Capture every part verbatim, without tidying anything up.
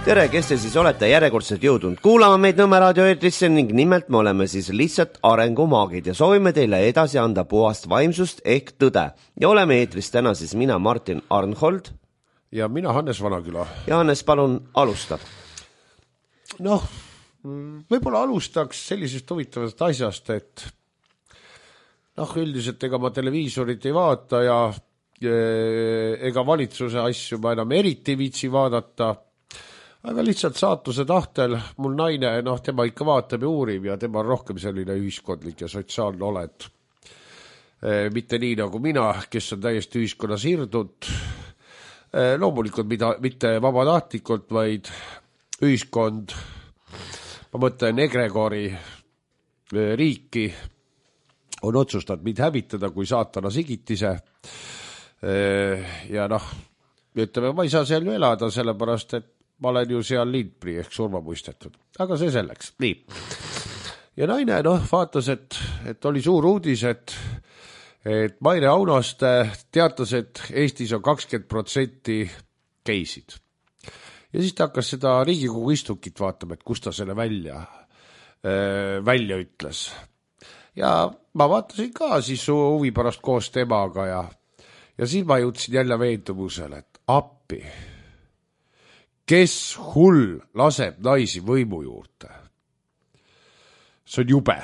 Tere, kes te siis olete järjekordselt jõudnud kuulama meid Nõmme raadio eetrisse ning nimelt me oleme siis lihtsalt arengumaagid ja soovime teile edasi anda puhast vaimsust ehk tõde. Ja oleme eetris täna siis mina, Martin Arnhold. Ja mina, Hannes Vanaküla. Ja Hannes, palun alusta. Noh, võib-olla alustaks sellisest huvitavast asjast, et noh, üldiselt ega ma televiisorit ei vaata ja ega valitsuse asju ma enam eriti viitsi vaadata. Aga lihtsalt saatuse tahtel mul naine, noh, tema ikka vaatab ja uurib ja tema on rohkem selline ühiskondlik ja sotsiaalne oled. E, mitte nii nagu mina, kes on täiesti ühiskonnas hirdud. E, loomulikult mida, mitte vabatahtlikult, vaid ühiskond, ma mõtlen Egregori e, riiki, on otsustanud mind hävitada kui saatana sigitise. E, ja noh, ütleme, ma ei saa seal ju elada, sellepärast, et ma olen ju seal lindpri ehk surma muistetud. Aga see selleks. Nii. Ja naine, noh, vaatas, et, et oli suur uudis, et, et Maire Aunaste teatas, et Eestis on kakskümmend protsenti geisid. Ja siis ta hakkas seda Riigikogu istungit vaatama, et kus ta selle välja, äh, välja ütles. Ja ma vaatasin ka siis huvi pärast koos temaga ja, ja siis ma jõudsin jälle veendumusele, et appi. Kes hull laseb naisi võimu juurde? See on jube.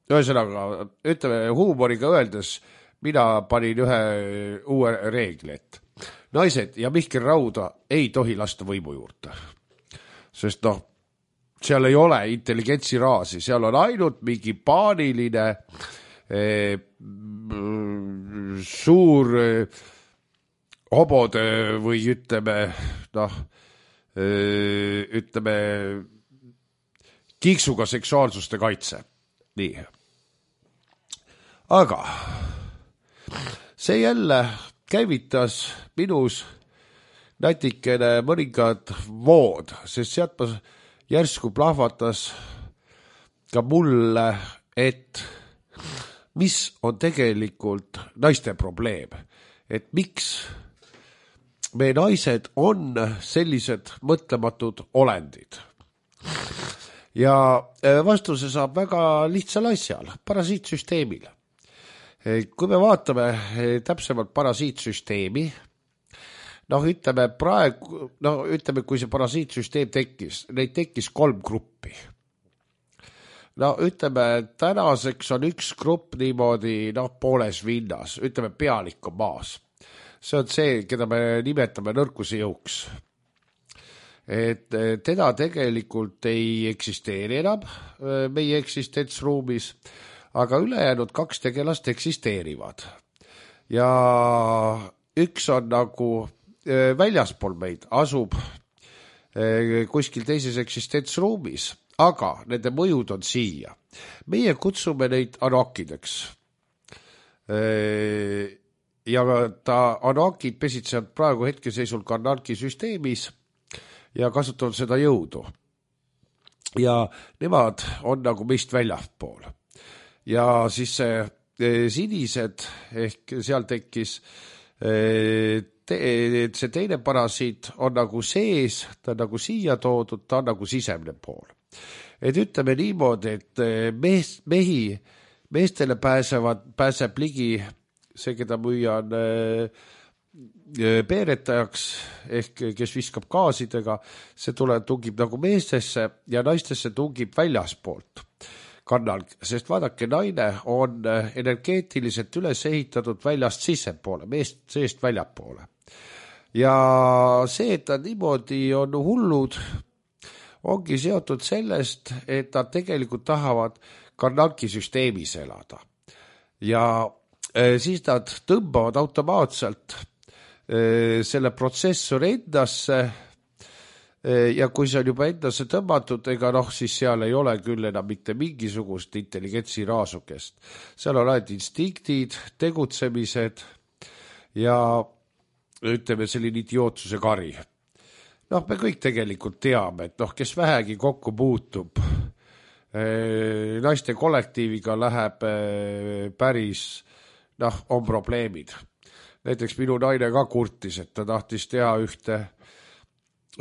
Ühesõnaga, ütleme huumoriga öeldes, mina panin ühe uue reegli, et naised ja Mihkel Rauda ei tohi lasta võimu juurde. Sest noh, seal ei ole intelligentsi raasi, seal on ainult mingi paaniline eh, suur eh, hobode või ütleme, noh, ütleme kiiksuga seksuaalsuste kaitse. Nii. Aga see jälle käivitas minus natikene mõningad vood, sest sealt ma järsku plahvatas ka mulle, et mis on tegelikult naiste probleem, et miks me naised on sellised mõtlematud olendid. Ja vastuse saab väga lihtsal asjal, parasiitsüsteemil. Kui me vaatame täpsemalt parasiitsüsteemi, noh, ütleme praegu, noh, ütleme, kui see parasiitsüsteem tekkis, neid tekkis kolm gruppi. No, ütleme, tänaseks on üks grupp niimoodi, noh, pooles vinnas, ütleme, pealik on maas. See on see, keda me nimetame nõrkuse jõuks. Et teda tegelikult ei eksisteeri enam meie eksistentsruumis, aga ülejäänud kaks tegelast eksisteerivad. Ja üks on nagu väljaspool meid, asub kuskil teises eksistentsruumis, aga nende mõjud on siia. Meie kutsume neid anokideks. Ja ta anokid pesitsevad praegu hetkeseisul kanarkisüsteemis ja kasutavad seda jõudu. Ja nemad on nagu meist väljaspool. Ja siis see sinised, ehk seal tekkis, te, see teine parasiit on nagu sees, ta on nagu siia toodud, ta on nagu sisemne pool. Et ütleme niimoodi, et mees, mehi, meestele pääsevad, pääseb ligi see, keda müüa on peeretajaks, ehk kes viskab gaasidega, see tuleb, tungib nagu meestesse ja naistesse tungib väljaspoolt kannal, sest vaadake, naine on energeetiliselt üles ehitatud väljast sissepoole, meest seest väljapoole. Ja see, et ta niimoodi on hullud, ongi seotud sellest, et nad tegelikult tahavad kannalkisüsteemis elada. Ja siis nad tõmbavad automaatselt selle protsessori endasse ja kui see on juba endasse tõmbatud, ega noh, siis seal ei ole küll enam mitte mingisugust intelligentsi raasukest. Seal on ainult instinktid, tegutsemised ja ütleme selline idiootsuse kari. Noh, me kõik tegelikult teame, et noh, kes vähegi kokku puutub, naiste kollektiiviga läheb päris noh, on probleemid. Näiteks minu naine ka kurtis, et ta tahtis teha ühte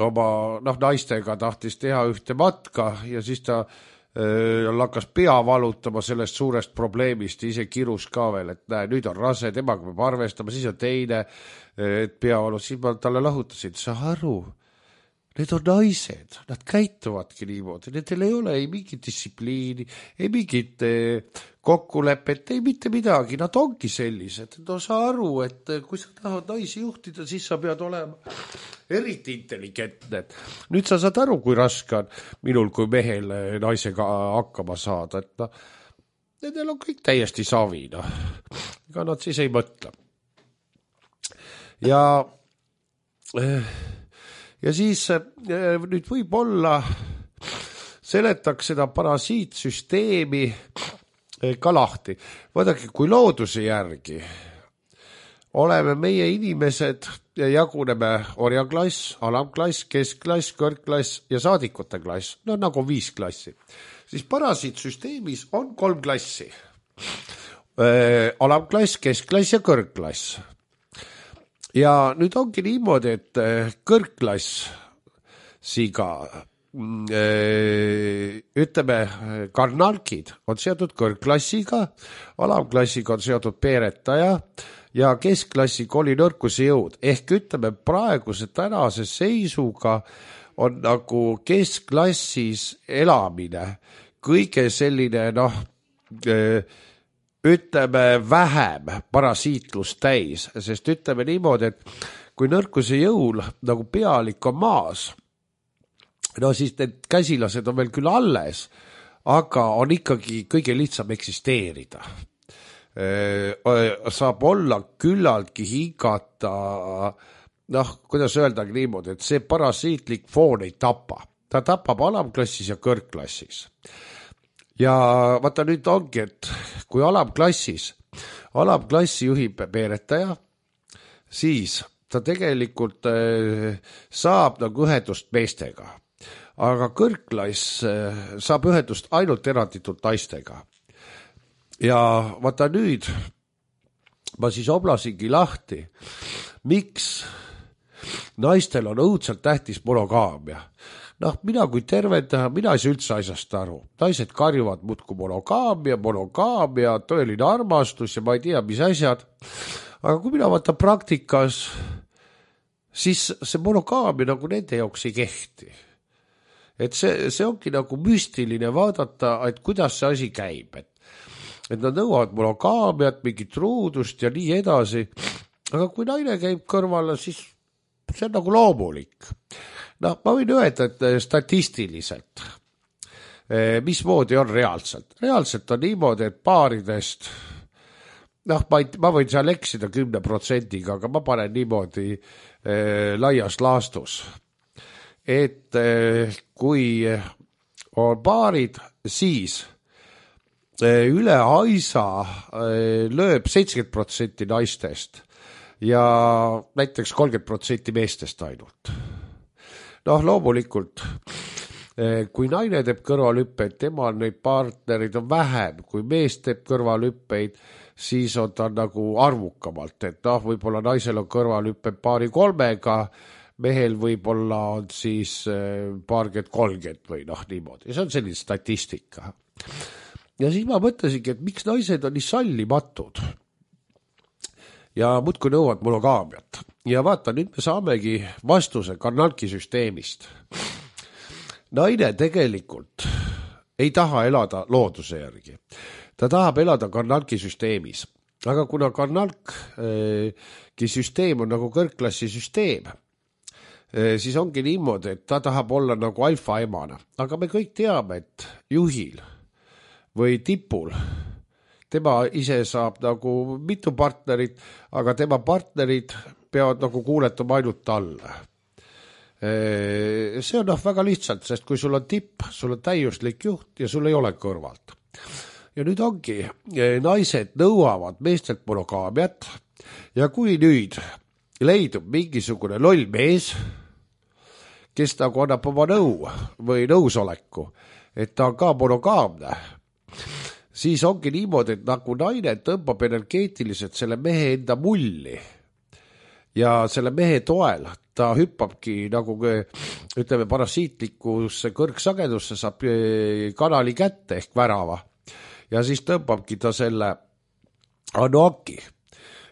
oma noh, naistega tahtis teha ühte matka ja siis ta äh, hakkas pea valutama sellest suurest probleemist ja ise kirus ka veel, et näe, nüüd on rase, temaga peab arvestama, siis on teine, et pea valu, siis ma talle lahutasin, sa aru, need on naised, nad käituvadki niimoodi, nendel ei ole ei mingit distsipliini, ei mingit kokkulepet, ei mitte midagi, nad ongi sellised. No sa aru, et kui sa tahad naisi juhtida, siis sa pead olema eriti intelligentne. Nüüd sa saad aru, kui raske on minul kui mehel naisega hakkama saada, et no, nendel on kõik täiesti savi, no. Ega nad siis ei mõtle. Ja... Eh, Ja siis nüüd võib-olla seletaks seda parasiitsüsteemi ka lahti. Vaadake, kui looduse järgi oleme meie inimesed ja jaguneme orjaklass, alamklass, keskklass, kõrgklass ja saadikute klass. No nagu viis klassi. Siis parasiitsüsteemis on kolm klassi. Alamklass, keskklass ja kõrgklass. Ja nüüd ongi niimoodi, et kõrgklassiga, ütleme, karnalkid on seotud kõrgklassiga, alamklassiga on seotud peeretaja ja keskklassi kolinõrkuse jõud. Ehk ütleme, praeguse tänase seisuga on nagu keskklassis elamine kõige selline, noh, ütleme vähem parasiitlust täis, sest ütleme niimoodi, et kui nõrkuse jõul nagu pealik on maas, no siis need käsilased on veel küll alles, aga on ikkagi kõige lihtsam eksisteerida. Saab olla küllaltki hingata, noh, kuidas öeldagi niimoodi, et see parasiitlik foon ei tapa. Ta tapab alamklassis ja kõrgklassis. Ja vaata nüüd ongi, et kui alamklassis, alamklassi juhib peeretaja, siis ta tegelikult saab nagu ühendust meestega. Aga kõrgklass saab ühendust ainult eranditult naistega. Ja vaata nüüd, ma siis oblasingi lahti, miks naistel on õudselt tähtis monogaamia. Noh, mina kui tervendaja, mina ei saa üldse asjast aru. Naised karjuvad muudku monogaamia, monogaamia, tõeline armastus ja ma ei tea, mis asjad. Aga kui mina vaatan praktikas, siis see monogaamia nagu nende jaoks ei kehti. Et see, see ongi nagu müstiline vaadata, et kuidas see asi käib. Et, et nad nõuavad monogaamiat, mingit truudust ja nii edasi. Aga kui naine käib kõrvale, siis see on nagu loomulik. No, ma võin öelda, et statistiliselt, mismoodi on reaalselt. Reaalselt on niimoodi, et paaridest, noh, ma, ei, ma võin seal eksida kümne protsendiga, aga ma panen niimoodi eh, laias laastus. Et eh, kui on paarid, siis eh, üle aisa eh, lööb seitsekümmend protsenti naistest ja näiteks kolmkümmend protsenti meestest ainult. Noh, loomulikult, kui naine teeb kõrvalhüppeid, temal neid partnerid on vähem, kui mees teeb kõrvalhüppeid, siis on ta nagu arvukamalt, et noh, võib-olla naisel on kõrvalhüppeid paari kolmega, mehel võib-olla on siis paarkümmend kolmkümmend või noh, niimoodi. See on selline statistika. Ja siis ma mõtlesingi, et miks naised on nii sallimatud ja muudkui nõuavad monogaamiat. Ja vaata, nüüd me saamegi vastuse karnalki süsteemist. Naine tegelikult ei taha elada looduse järgi. Ta tahab elada karnalki süsteemis. Aga kuna karnalki süsteem on nagu kõrgklassi süsteem, siis ongi niimoodi, et ta tahab olla nagu alfa emana. Aga me kõik teame, et juhil või tipul tema ise saab nagu mitu partnerit, aga tema partnerid peavad nagu kuuletama ainult talle. See on noh väga lihtsalt, sest kui sul on tipp, sul on täiuslik juht ja sul ei ole kõrvalt. Ja nüüd ongi, naised nõuavad meestelt monogaamiat ja kui nüüd leidub mingisugune loll mees, kes nagu annab oma nõu või nõusoleku, et ta on ka monogaamne, siis ongi niimoodi, et nagu naine tõmbab energeetiliselt selle mehe enda mulli ja selle mehe toel ta hüppabki nagu ütleme parasiitlikusse kõrgsagedusse, saab kanali kätte ehk värava ja siis tõmbabki ta selle Anoaki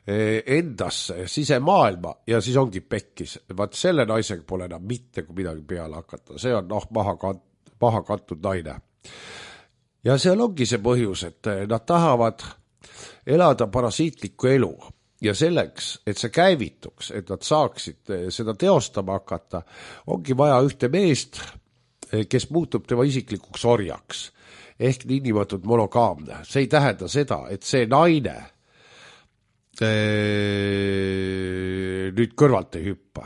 endasse sisemaailma ja siis ongi pekkis. Vaat selle naisega pole enam mitte kui midagi peale hakata. See on noh, maha, kant, maha kantud naine. Ja seal ongi see põhjus, et nad tahavad elada parasiitlikku elu ja selleks, et see käivituks, et nad saaksid seda teostama hakata, ongi vaja ühte meest, kes muutub tema isiklikuks orjaks ehk niinimatud monogaamne. See ei tähenda seda, et see naine nüüd kõrvalt ei hüppa.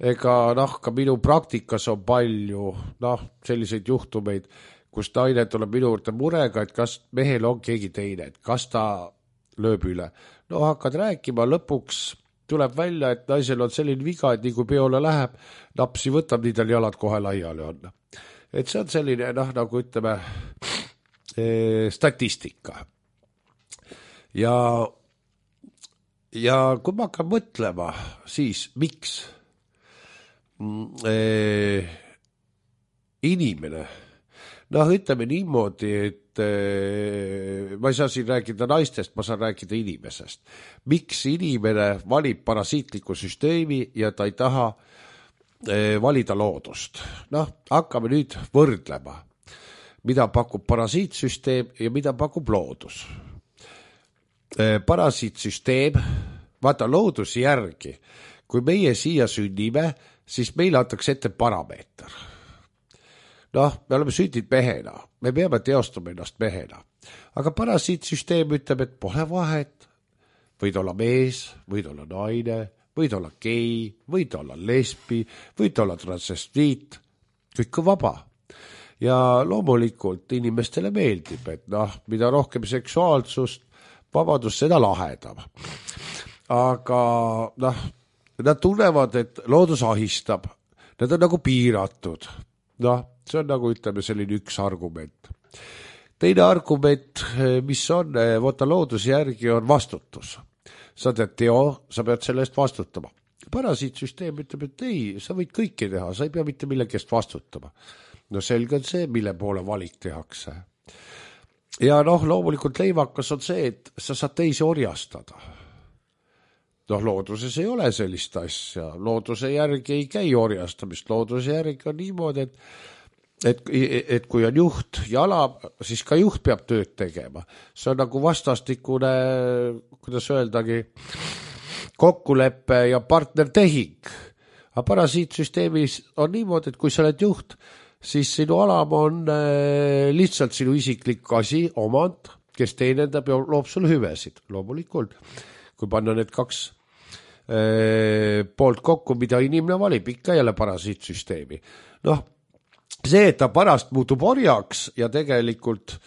Ega noh, ka minu praktikas on palju noh, selliseid juhtumeid, kus naine tuleb minu juurde murega, et kas mehel on keegi teine, et kas ta lööb üle. No hakkad rääkima, lõpuks tuleb välja, et naisel on selline viga, et nii kui peole läheb, napsi võtab, nii tal jalad kohe laiali on. Et see on selline, noh, nagu ütleme, statistika. Ja Ja kui ma hakkan mõtlema, siis miks e, inimene, noh ütleme niimoodi, et e, ma ei saa siin rääkida naistest, ma saan rääkida inimesest. Miks inimene valib parasiitliku süsteemi ja ta ei taha e, valida loodust? Noh, hakkame nüüd võrdlema, mida pakub parasiitsüsteem ja mida pakub loodus. Parasiitsüsteem, vaata looduse järgi, kui meie siia sünnime, siis meile antakse ette parameeter. Noh, me oleme sünnid mehena, me peame teostama ennast mehena, aga parasiitsüsteem ütleb, et pole vahet, võid olla mees, võid olla naine, võid olla gei, võid olla lesbi, võid olla transvestiit, kõik on vaba. Ja loomulikult inimestele meeldib, et noh, mida rohkem seksuaalsust, vabadus seda lahedam. Aga noh, nad tunnevad, et loodus ahistab. Nad on nagu piiratud. Noh, see on nagu ütleme selline üks argument. Teine argument, mis on, võtta looduse järgi on vastutus. Sa tead teo, sa pead selle eest vastutama. Parasiitsüsteem ütleb, et ei, sa võid kõike teha, sa ei pea mitte millegi eest vastutama. No selge on see, mille poole valik tehakse. Ja noh, loomulikult leivakas on see, et sa saad teisi orjastada. Noh, looduses ei ole sellist asja. Looduse järgi ei käi orjastamist. Looduse järgi on niimoodi, et, et, et kui on juht jala, siis ka juht peab tööd tegema. See on nagu vastastikune, kuidas öeldagi, kokkuleppe ja partnertehing. Aga parasiitsüsteemis on niimoodi, et kui sa oled juht, siis sinu alam on lihtsalt sinu isiklik asi, omand, kes teenendab ja loob sul hüvesid. Loomulikult, kui panna need kaks eh, poolt kokku, mida inimene valib, ikka jälle parasiitsüsteemi. Noh, see, et ta pärast muutub orjaks ja tegelikult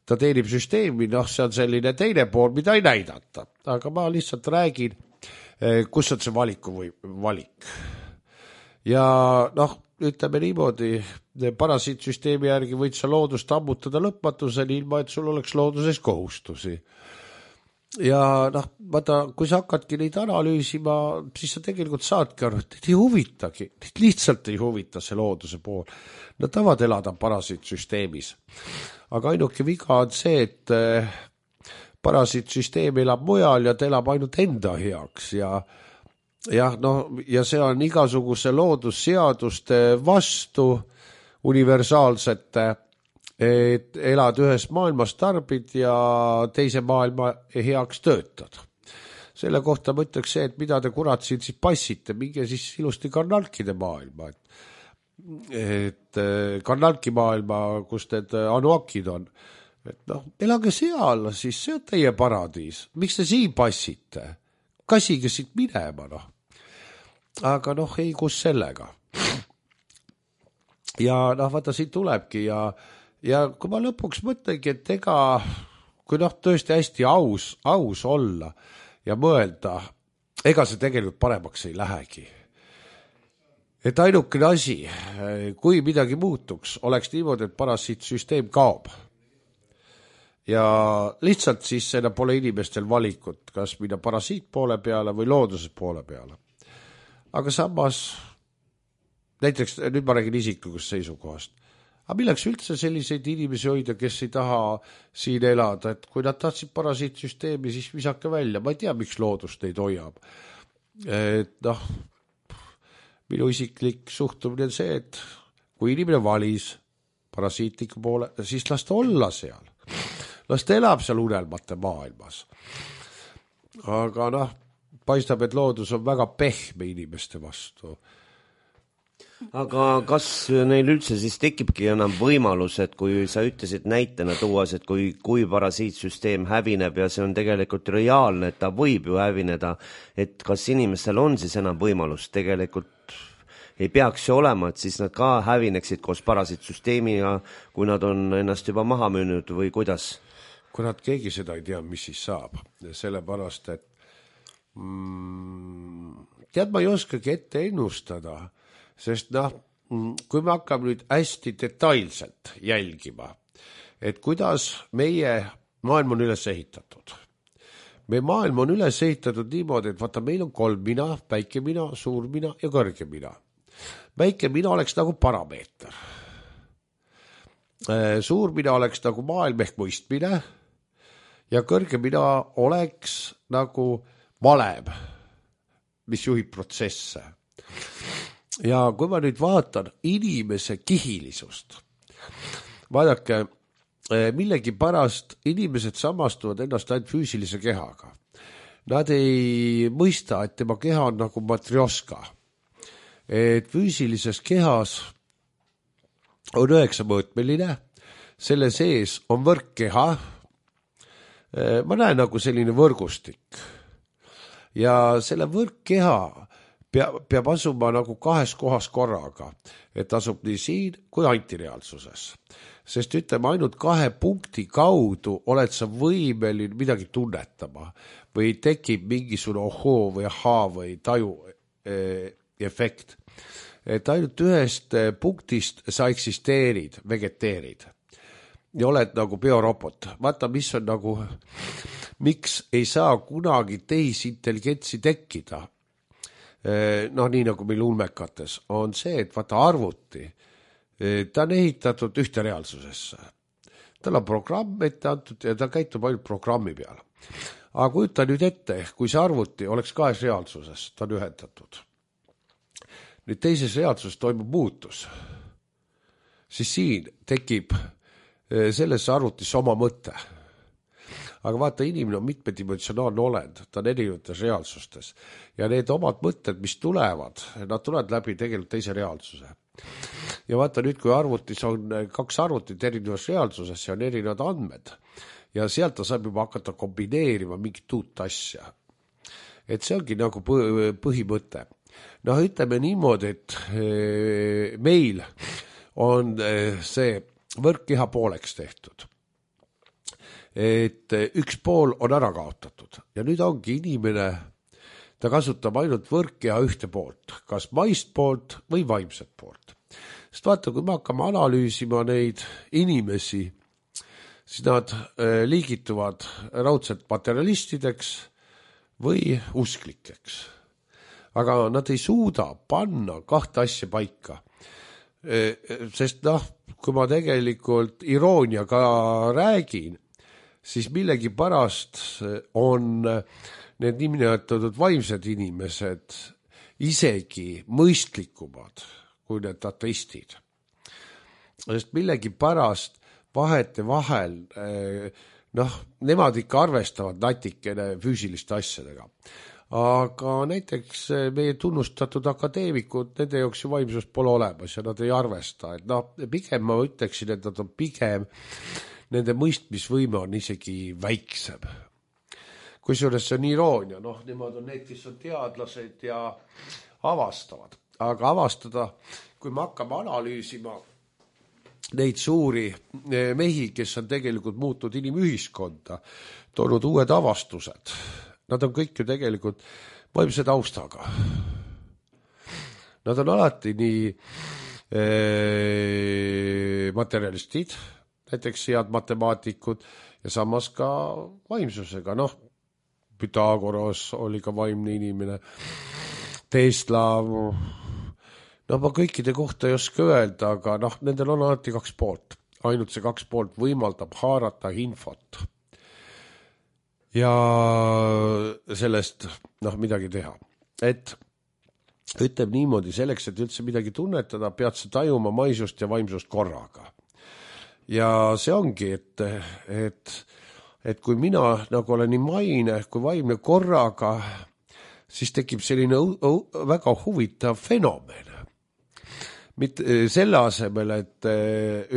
ta teenib süsteemi, noh, see on selline teine pool, mida ei näidata. Aga ma lihtsalt räägin, eh, kus on see valiku või valik. Ja noh, ütleme niimoodi, parasiitsüsteemi järgi võid sa loodust ammutada lõpmatuseni, ilma et sul oleks looduses kohustusi. Ja noh, vaata, kui sa hakkadki neid analüüsima, siis sa tegelikult saadki aru, et ei huvitagi, neid lihtsalt ei huvita see looduse pool. Nad tavad elada parasiitsüsteemis. Aga ainuke viga on see, et parasiitsüsteem elab mujal ja ta elab ainult enda heaks ja jah, no, ja see on igasuguse loodusseaduste vastu universaalsete, et elad ühes maailmas tarbid ja teise maailma heaks töötad. Selle kohta ma ütleks see, et mida te kurat siin siis passite, minge siis ilusti karnalkide maailma. Et, et karnalki maailma, kus need anuakid on. Et noh, elage seal, siis see on teie paradiis. Miks te siin passite? Kasige siit minema, noh. Aga noh, ei kus sellega. Ja noh, vaata, siin tulebki ja, ja kui ma lõpuks mõtlengi, et ega, kui noh, tõesti hästi aus, aus olla ja mõelda, ega see tegelikult paremaks ei lähegi. Et ainukene asi, kui midagi muutuks, oleks niimoodi, et parasiitsüsteem kaob. Ja lihtsalt siis seda pole inimestel valikut, kas minna parasiit poole peale või looduse poole peale. aga samas näiteks nüüd ma räägin isiklikust seisukohast. Aga milleks üldse selliseid inimesi hoida, kes ei taha siin elada, et kui nad tahtsid parasiitsüsteemi, siis visake välja. Ma ei tea, miks loodus neid hoiab. Et noh, minu isiklik suhtumine on see, et kui inimene valis parasiitliku poole, siis las ta olla seal. Las ta elab seal unelmate maailmas. Aga noh, paistab, et loodus on väga pehme inimeste vastu. Aga kas neil üldse siis tekibki enam võimalus, et kui sa ütlesid näitena tuuas, et kui, kui parasiitsüsteem hävineb ja see on tegelikult reaalne, et ta võib ju hävineda, et kas inimestel on siis enam võimalus tegelikult ei peaks ju olema, et siis nad ka hävineksid koos parasiitsüsteemiga, kui nad on ennast juba maha müünud või kuidas? Kui nad keegi seda ei tea, mis siis saab, sellepärast, et mm, tead, ma ei oskagi ette ennustada, sest noh, kui me hakkame nüüd hästi detailselt jälgima, et kuidas meie maailm on üles ehitatud. Meie maailm on üles ehitatud niimoodi, et vaata, meil on kolm mina, väike mina, suur mina ja kõrge mina. Väike mina oleks nagu parameeter. Suur mina oleks nagu maailm ehk mõistmine ja kõrge mina oleks nagu valem, mis juhib protsesse. Ja kui ma nüüd vaatan inimese kihilisust, vaadake, millegi pärast inimesed samastuvad ennast ainult füüsilise kehaga. Nad ei mõista, et tema keha on nagu matrioska. Et füüsilises kehas on üheksa mõõtmeline, selle sees on võrkkeha. Ma näen nagu selline võrgustik. Ja selle võrkkeha Peab, peab asuma nagu kahes kohas korraga, et asub nii siin kui antireaalsuses. Sest ütleme, ainult kahe punkti kaudu oled sa võimeline midagi tunnetama või tekib mingisugune ohoo või ahaa või taju eh, efekt. Et ainult ühest punktist sa eksisteerid, vegeteerid ja oled nagu biorobot. Vaata, mis on nagu, miks ei saa kunagi tehisintelligentsi tekkida. No nii nagu meil ulmekates on see, et vaata arvuti, ta on ehitatud ühte reaalsusesse. Tal on programm ette antud ja ta käitub ainult programmi peal. Aga kujuta nüüd ette, kui see arvuti oleks kahes reaalsuses, ta on ühendatud. Nüüd teises reaalsuses toimub muutus. Siis siin tekib selles arvutis oma mõte. Aga vaata, inimene on mitmedimensionaalne olend, ta on erinevates reaalsustes. Ja need omad mõtted, mis tulevad, nad tulevad läbi tegelikult teise reaalsuse. Ja vaata nüüd, kui arvutis on kaks arvutit erinevas reaalsuses ja on erinevad andmed. Ja sealt ta saab juba hakata kombineerima mingit uut asja. Et see ongi nagu põhimõte. Noh, ütleme niimoodi, et meil on see võrkkeha pooleks tehtud. Et üks pool on ära kaotatud ja nüüd ongi inimene, ta kasutab ainult võrkkeha ühte poolt, kas maist poolt või vaimset poolt. Sest vaata, kui me hakkame analüüsima neid inimesi, siis nad liigituvad raudselt materialistideks või usklikeks. Aga nad ei suuda panna kahte asja paika. Sest noh, kui ma tegelikult irooniaga räägin, siis millegi pärast on need nimetatud vaimsed inimesed isegi mõistlikumad kui need ateistid. Sest millegi pärast vahete vahel, noh, nemad ikka arvestavad natikene füüsiliste asjadega. Aga näiteks meie tunnustatud akadeemikud, nende jaoks ju vaimsust pole olemas ja nad ei arvesta. Et noh, pigem ma ütleksin, et nad on pigem nende mõistmisvõime on isegi väiksem. Kusjuures see on iroonia, noh, nemad on need, kes on teadlased ja avastavad. Aga avastada, kui me hakkame analüüsima neid suuri mehi, kes on tegelikult muutunud inimühiskonda, toonud uued avastused, nad on kõik ju tegelikult vaimse taustaga. Nad on alati nii eh, materialistid, näiteks head matemaatikud ja samas ka vaimsusega. Noh, Pythagoras oli ka vaimne inimene. Tesla, no ma kõikide kohta ei oska öelda, aga noh, nendel on alati kaks poolt. Ainult see kaks poolt võimaldab haarata infot ja sellest noh, midagi teha. Et ütleb niimoodi, selleks, et üldse midagi tunnetada, pead sa tajuma maisust ja vaimsust korraga. Ja see ongi, et, et, et kui mina nagu olen nii maine kui vaimne korraga, siis tekib selline väga huvitav fenomen. Mitte selle asemel, et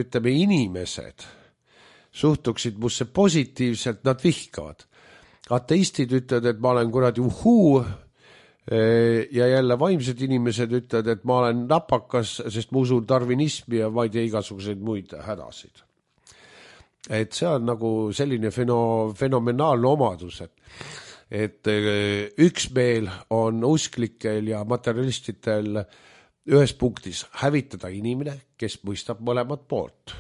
ütleme inimesed suhtuksid musse positiivselt, nad vihkavad. Ateistid ütlevad, et ma olen kuradi uhuu ja jälle vaimsed inimesed ütlevad, et ma olen napakas, sest ma usun darwinismi ja ma ei tea igasuguseid muid hädasid. Et see on nagu selline feno, fenomenaalne omadus, et, et üksmeel on usklikel ja materialistidel ühes punktis hävitada inimene, kes mõistab mõlemat poolt.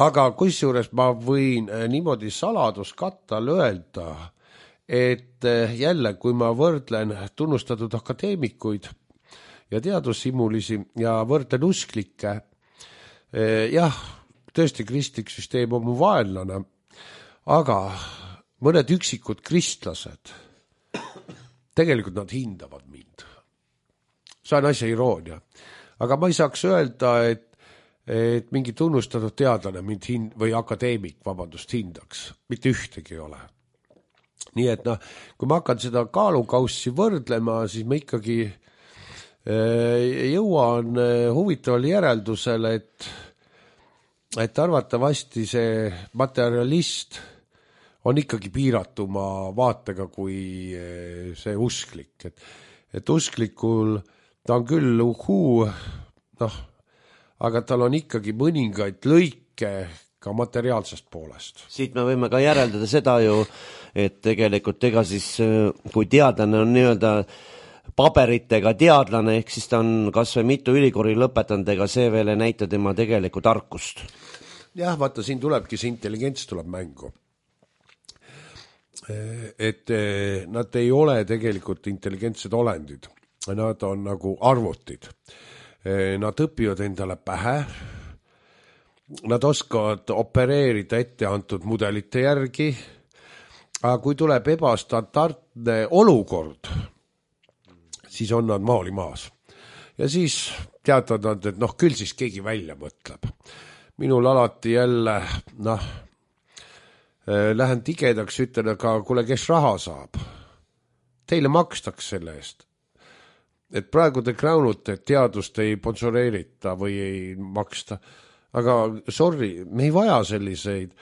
Aga kusjuures ma võin niimoodi saladuskattal öelda, et jälle, kui ma võrdlen tunnustatud akadeemikuid ja teadussimulisi ja võrdlen usklikke, jah, tõesti kristlik süsteem on mu vaenlane, aga mõned üksikud kristlased, tegelikult nad hindavad mind. See on asja iroonia. Aga ma ei saaks öelda, et, et mingi tunnustatud teadlane mind hind, või akadeemik, vabandust, hindaks. Mitte ühtegi ei ole. Nii et noh, kui ma hakkan seda kaalukaussi võrdlema, siis ma ikkagi äh, jõuan huvitavale järeldusele, et, et arvatavasti see materialist on ikkagi piiratuma vaatega kui see usklik. Et, et usklikul ta on küll uhuu, noh, aga tal on ikkagi mõningaid lõike ka materiaalsest poolest. Siit me võime ka järeldada seda ju, et tegelikult ega siis, kui teadlane on nii-öelda paberitega teadlane, ehk siis ta on kas või mitu ülikooli lõpetanud, ega see veel ei näita tema tegelikku tarkust. Jah, vaata, siin tulebki see intelligents tuleb mängu. Et nad ei ole tegelikult intelligentsed olendid. Nad on nagu arvutid. Nad õpivad endale pähe. Nad oskavad opereerida ette antud mudelite järgi. Aga kui tuleb ebastandardne olukord, siis on nad maali maas. Ja siis teatavad nad, et noh, küll siis keegi välja mõtleb. Minul alati jälle, noh, lähen tigedaks, ütlen, aga kuule, kes raha saab? Teile makstaks selle eest. Et praegu te kraunute, et teadust ei sponsoreerita või ei maksta. Aga sorry, me ei vaja selliseid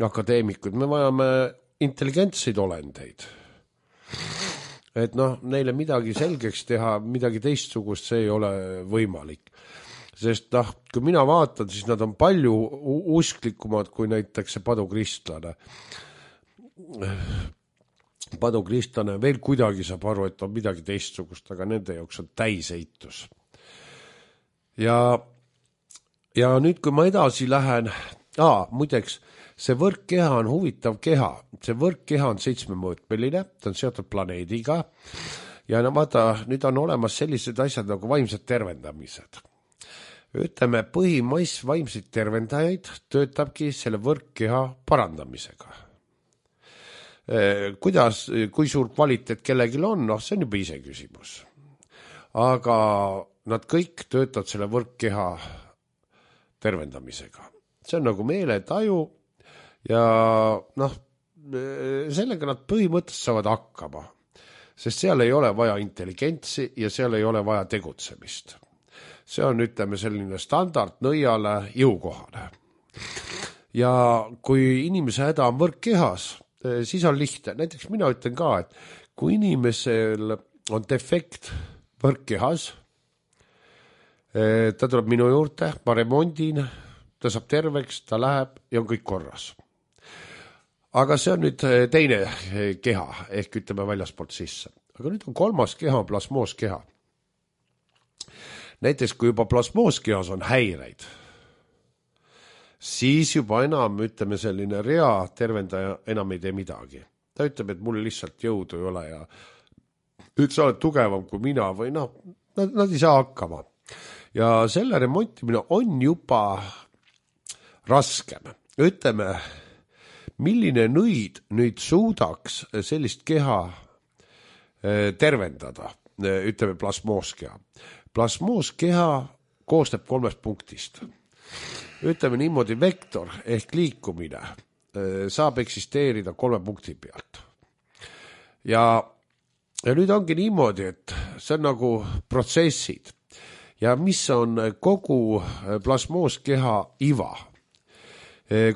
akadeemikuid, me vajame intelligentseid olendeid. Et noh, neile midagi selgeks teha, midagi teistsugust, see ei ole võimalik. Sest noh, kui mina vaatan, siis nad on palju usklikumad kui näiteks see padukristlane. Padukristlane veel kuidagi saab aru, et on midagi teistsugust, aga nende jaoks on täiseitus. Ja, ja nüüd, kui ma edasi lähen, aa, muideks, see võrkkeha on huvitav keha. See võrkkeha on seitsmemõõtmeline, ta on seotud planeediga ja no vaata, nüüd on olemas sellised asjad nagu vaimsed tervendamised. Ütleme, põhimass vaimseid tervendajaid töötabki selle võrkkeha parandamisega. Kuidas, kui suur kvaliteet kellegil on, noh, see on juba ise küsimus. Aga nad kõik töötavad selle võrkkeha tervendamisega. See on nagu meeletaju ja noh, sellega nad põhimõtteliselt saavad hakkama, sest seal ei ole vaja intelligentsi ja seal ei ole vaja tegutsemist. See on, ütleme, selline standard nõiale jõukohane. Ja kui inimese häda on võrkkehas, siis on lihtne. Näiteks mina ütlen ka, et kui inimesel on defekt võrkkehas, ta tuleb minu juurde, ma remondin, ta saab terveks, ta läheb ja on kõik korras. Aga see on nüüd teine keha, ehk ütleme väljaspoolt sisse. Aga nüüd on kolmas keha, plasmooskeha. Näiteks kui juba plasmooskehas on häireid, siis juba enam, ütleme, selline rea tervendaja enam ei tee midagi. Ta ütleb, et mul lihtsalt jõudu ei ole ja nüüd sa oled tugevam kui mina või noh, nad, nad ei saa hakkama. Ja selle remontimine on juba raskem. Ütleme, milline nõid nüüd suudaks sellist keha tervendada, ütleme plasmooskeha. Plasmooskeha koosneb kolmest punktist. Ütleme niimoodi, vektor ehk liikumine saab eksisteerida kolme punkti pealt. Ja, ja nüüd ongi niimoodi, et see on nagu protsessid. Ja mis on kogu plasmooskeha iva?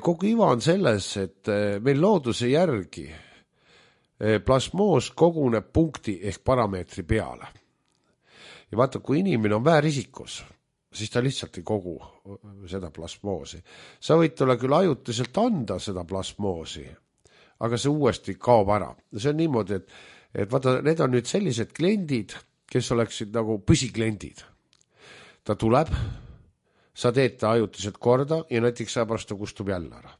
Kogu iva on selles, et meil looduse järgi plasmoos koguneb punkti ehk parameetri peale. Ja vaata, kui inimene on väärisikus, siis ta lihtsalt ei kogu seda plasmoosi. Sa võid tulla küll ajutiselt anda seda plasmoosi, aga see uuesti kaob ära. See on niimoodi, et, et vaata, need on nüüd sellised kliendid, kes oleksid nagu püsikliendid. Ta tuleb, sa teed ta ajutiselt korda ja näiteks sa pärast ta kustub jälle ära.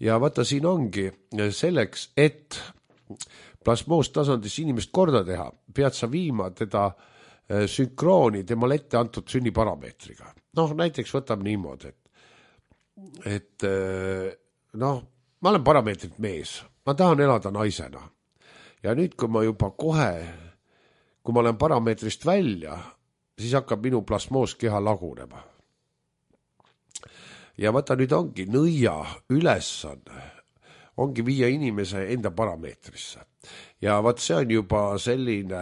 Ja vaata, siin ongi selleks, et plasmoostasandis inimest korda teha, pead sa viima teda sünkrooni temale ette antud sünniparameetriga. Noh, näiteks võtame niimoodi, et, et noh, ma olen parameetrit mees, ma tahan elada naisena. Ja nüüd, kui ma juba kohe, kui ma olen parameetrist välja, siis hakkab minu plasmooskeha lagunema. Ja vaata, nüüd ongi nõia ülesanne, ongi viia inimese enda parameetrisse. Ja vaat see on juba selline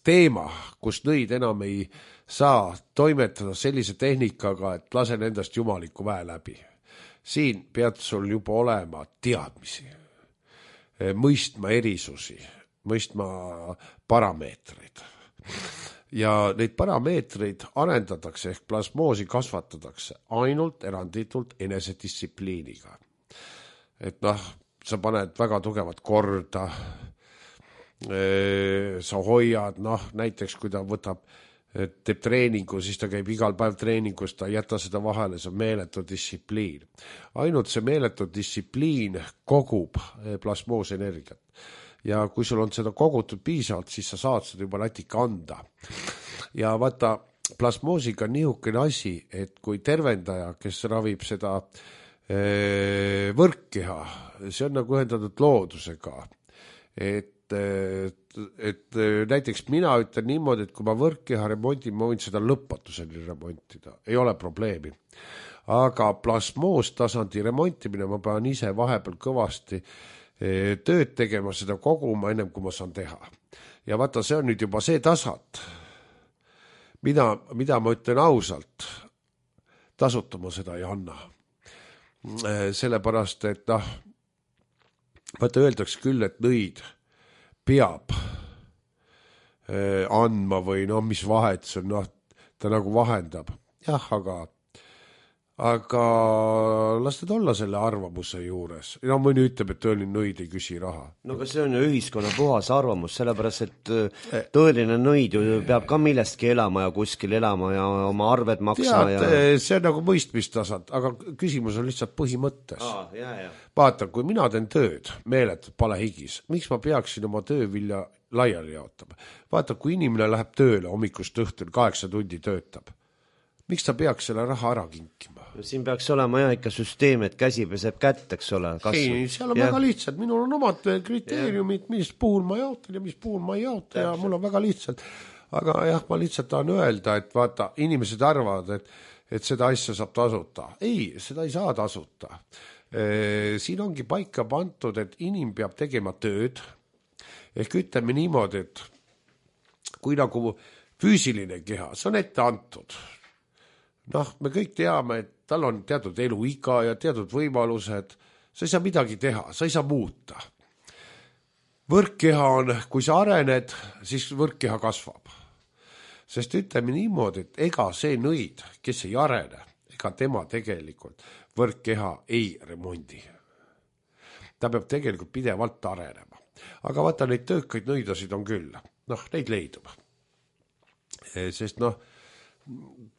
teema, kus nõid enam ei saa toimetada sellise tehnikaga, et lasen endast jumaliku väe läbi. Siin pead sul juba olema teadmisi, mõistma erisusi, mõistma parameetreid. Ja neid parameetreid arendatakse ehk plasmoosi kasvatatakse ainult eranditult enesedistsipliiniga. Et noh, sa paned väga tugevat korda, sa hoiad, noh, näiteks kui ta võtab, teeb treeningu, siis ta käib igal päev treeningus, ta ei jäta seda vahele, see on meeletu distsipliin. Ainult see meeletu distsipliin kogub plasmoosenergiat. Ja kui sul on seda kogutud piisavalt, siis sa saad seda juba natika anda. Ja vaata, plasmoosiga on niisugune asi, et kui tervendaja, kes ravib seda ee, võrkkeha, see on nagu ühendatud loodusega. Et, et, et näiteks mina ütlen niimoodi, et kui ma võrkkeha remontin, ma võin seda lõpmatuseni remontida. Ei ole probleemi. Aga plasmoostasandi remontimine ma pean ise vahepeal kõvasti tööd tegema, seda koguma ennem kui ma saan teha. Ja vaata, see on nüüd juba see tasand, mida, mida ma ütlen ausalt, tasutama seda ei anna. Sellepärast, et noh, vaata öeldaks küll, et nõid peab andma või no mis vahet see on, noh, ta nagu vahendab. Jah, aga aga las teda olla selle arvamuse juures. No mõni ütleb, et tõeline nõid ei küsi raha. No aga see on ju ühiskonna puhas arvamus, sellepärast, et tõeline nõid ju peab ka millestki elama ja kuskil elama ja oma arved maksma. Tead, ja... see on nagu mõistmistasand, aga küsimus on lihtsalt põhimõttes. Aa, jah, jah. Vaata, kui mina teen tööd, meeletult palehigis, miks ma peaksin oma töövilja laiali jaotama? Vaata, kui inimene läheb tööle hommikust õhtul, kaheksa tundi töötab, miks ta peaks selle raha ära kinkima? Siin peaks olema jah ikka süsteem, et käsi peseb kätt, eks ole. Ei, seal on ja. väga lihtsalt. Minul on omad kriteeriumid, mis puhul ma jaotan ja mis puhul ma ei jaota ja mul on väga lihtsalt. Aga jah, ma lihtsalt tahan öelda, et vaata, inimesed arvavad, et, et seda asja saab tasuta. Ei, seda ei saa tasuta. E, siin ongi paika pantud, et inim peab tegema tööd. Ehk ütleme niimoodi, et kui nagu füüsiline keha, see on ette antud. Noh, me kõik teame, et tal on teatud eluiga ja teatud võimalused, sa ei saa midagi teha, sa ei saa muuta. Võrkkeha on, kui sa arened, siis võrkkeha kasvab. Sest ütleme niimoodi, et ega see nõid, kes ei arene, ega tema tegelikult võrkkeha ei remondi. Ta peab tegelikult pidevalt arenema. Aga vaata, neid töökaid nõidasid on küll. Noh, neid leidub. Sest noh,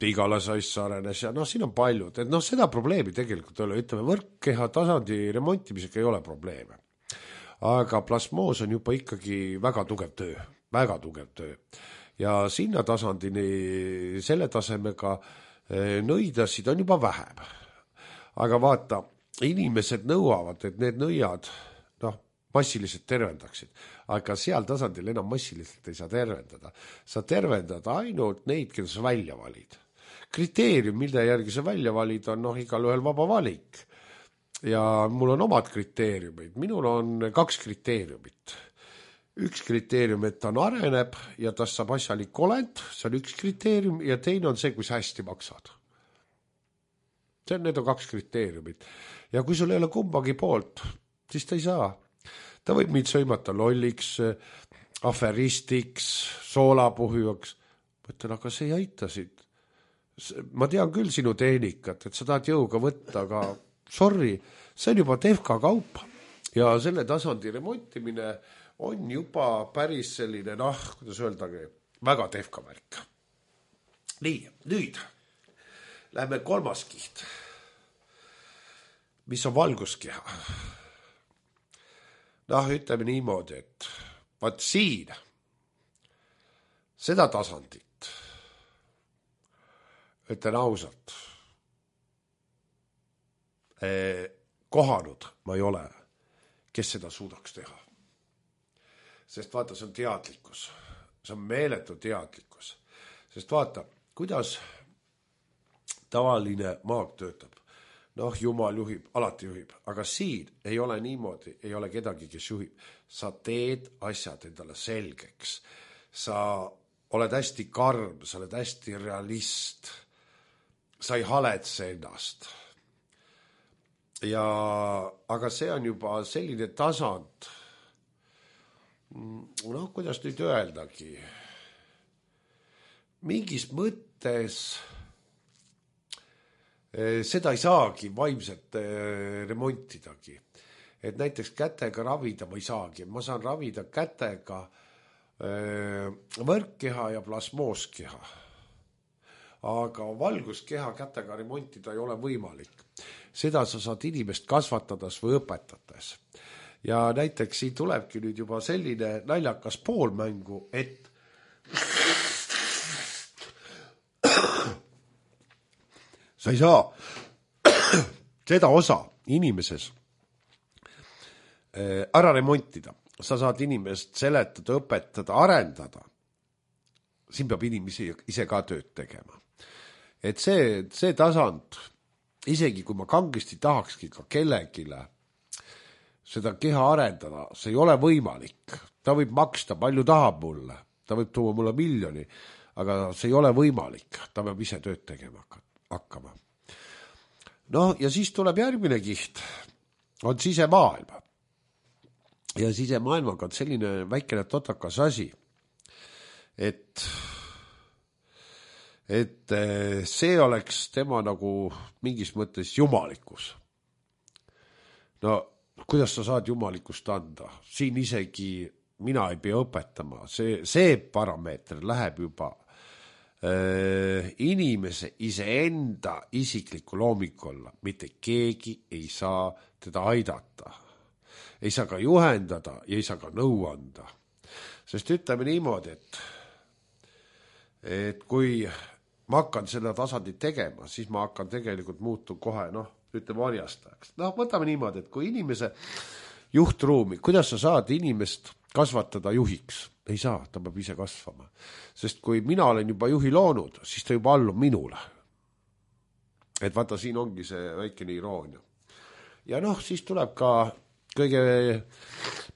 igale saisse arenes ja noh, siin on paljud, et noh, seda probleemi tegelikult ei ole, ütleme, võrkkeha tasandi remontimisega ei ole probleeme. aga plasmoos on juba ikkagi väga tugev töö, väga tugev töö. Ja sinna tasandini, selle tasemega nõidasid on juba vähem. Aga vaata, inimesed nõuavad, et need nõiad noh, massiliselt tervendaksid, aga seal tasandil enam massiliselt ei saa tervendada. Sa tervendad ainult neid, keda sa välja valid. Kriteerium, mille järgi sa välja valid, on noh, igal ühel vaba valik. Ja mul on omad kriteeriumid. Minul on kaks kriteeriumit. Üks kriteerium, et ta areneb ja ta saab asjalik olend, see on üks kriteerium, ja teine on see, kui sa hästi maksad. See on, need on kaks kriteeriumit. Ja kui sul ei ole kumbagi poolt, siis ta ei saa. Ta võib mind sõimata lolliks, aferistiks, soolapuhujaks. Ma ütlen, aga see ei aita siit. Ma tean küll sinu tehnikat, et sa tahad jõuga võtta, aga sorry, see on juba tehka kaup. Ja selle tasandi remontimine on juba päris selline, noh, kuidas öeldagi, väga tehka märk. Nii, nüüd lähme kolmas kiht, mis on valguskeha. Noh, ütleme niimoodi, et vaat siin seda tasandit, ütlen ausalt, kohanud ma ei ole, kes seda suudaks teha. Sest vaata, see on teadlikkus. See on meeletu teadlikkus. Sest vaata, kuidas tavaline maag töötab. Noh, Jumal juhib, alati juhib. Aga siin ei ole niimoodi, ei ole kedagi, kes juhib. Sa teed asjad endale selgeks. Sa oled hästi karm, sa oled hästi realist. Sa ei haletse ennast. Ja, aga see on juba selline tasand, noh, kuidas nüüd öeldagi, mingis mõttes seda ei saagi vaimselt remontidagi. Et näiteks kätega ravida ma ei saagi, ma saan ravida kätega võrkkeha ja plasmooskeha. Aga valguskeha kätega remontida ei ole võimalik. Seda sa saad inimest kasvatades või õpetades. Ja näiteks siin tulebki nüüd juba selline naljakas poolmängu, et sa ei saa seda osa inimeses ära remontida. Sa saad inimest seletada, õpetada, arendada. Siin peab inimesi ise ka tööd tegema. Et see, see tasand, isegi kui ma kangesti tahakski ka kellegile seda keha arendada, see ei ole võimalik. Ta võib maksta, palju tahab mulle, ta võib tuua mulle miljoni, aga see ei ole võimalik. Ta peab ise tööd tegema hakkama. No ja siis tuleb järgmine kiht, on sisemaailm. Ja sisemaailmaga on selline väikene totakas asi, et et see oleks tema nagu mingis mõttes jumalikkus. No, kuidas sa saad jumalikust anda? Siin isegi mina ei pea õpetama. See, see parameeter läheb juba äh, inimese iseenda isikliku loomikolla. Mitte keegi ei saa teda aidata. Ei saa ka juhendada ja ei saa ka nõu anda. Sest ütleme niimoodi, et, et kui ma hakkan seda tasandit tegema, siis ma hakkan tegelikult muutu kohe, noh, ütleme varjastajaks. No võtame niimoodi, et kui inimese juhtruumi, kuidas sa saad inimest kasvatada juhiks? Ei saa, ta peab ise kasvama. Sest kui mina olen juba juhi loonud, siis ta juba allub minule. Et vaata, siin ongi see väikene iroonia. Ja noh, siis tuleb ka kõige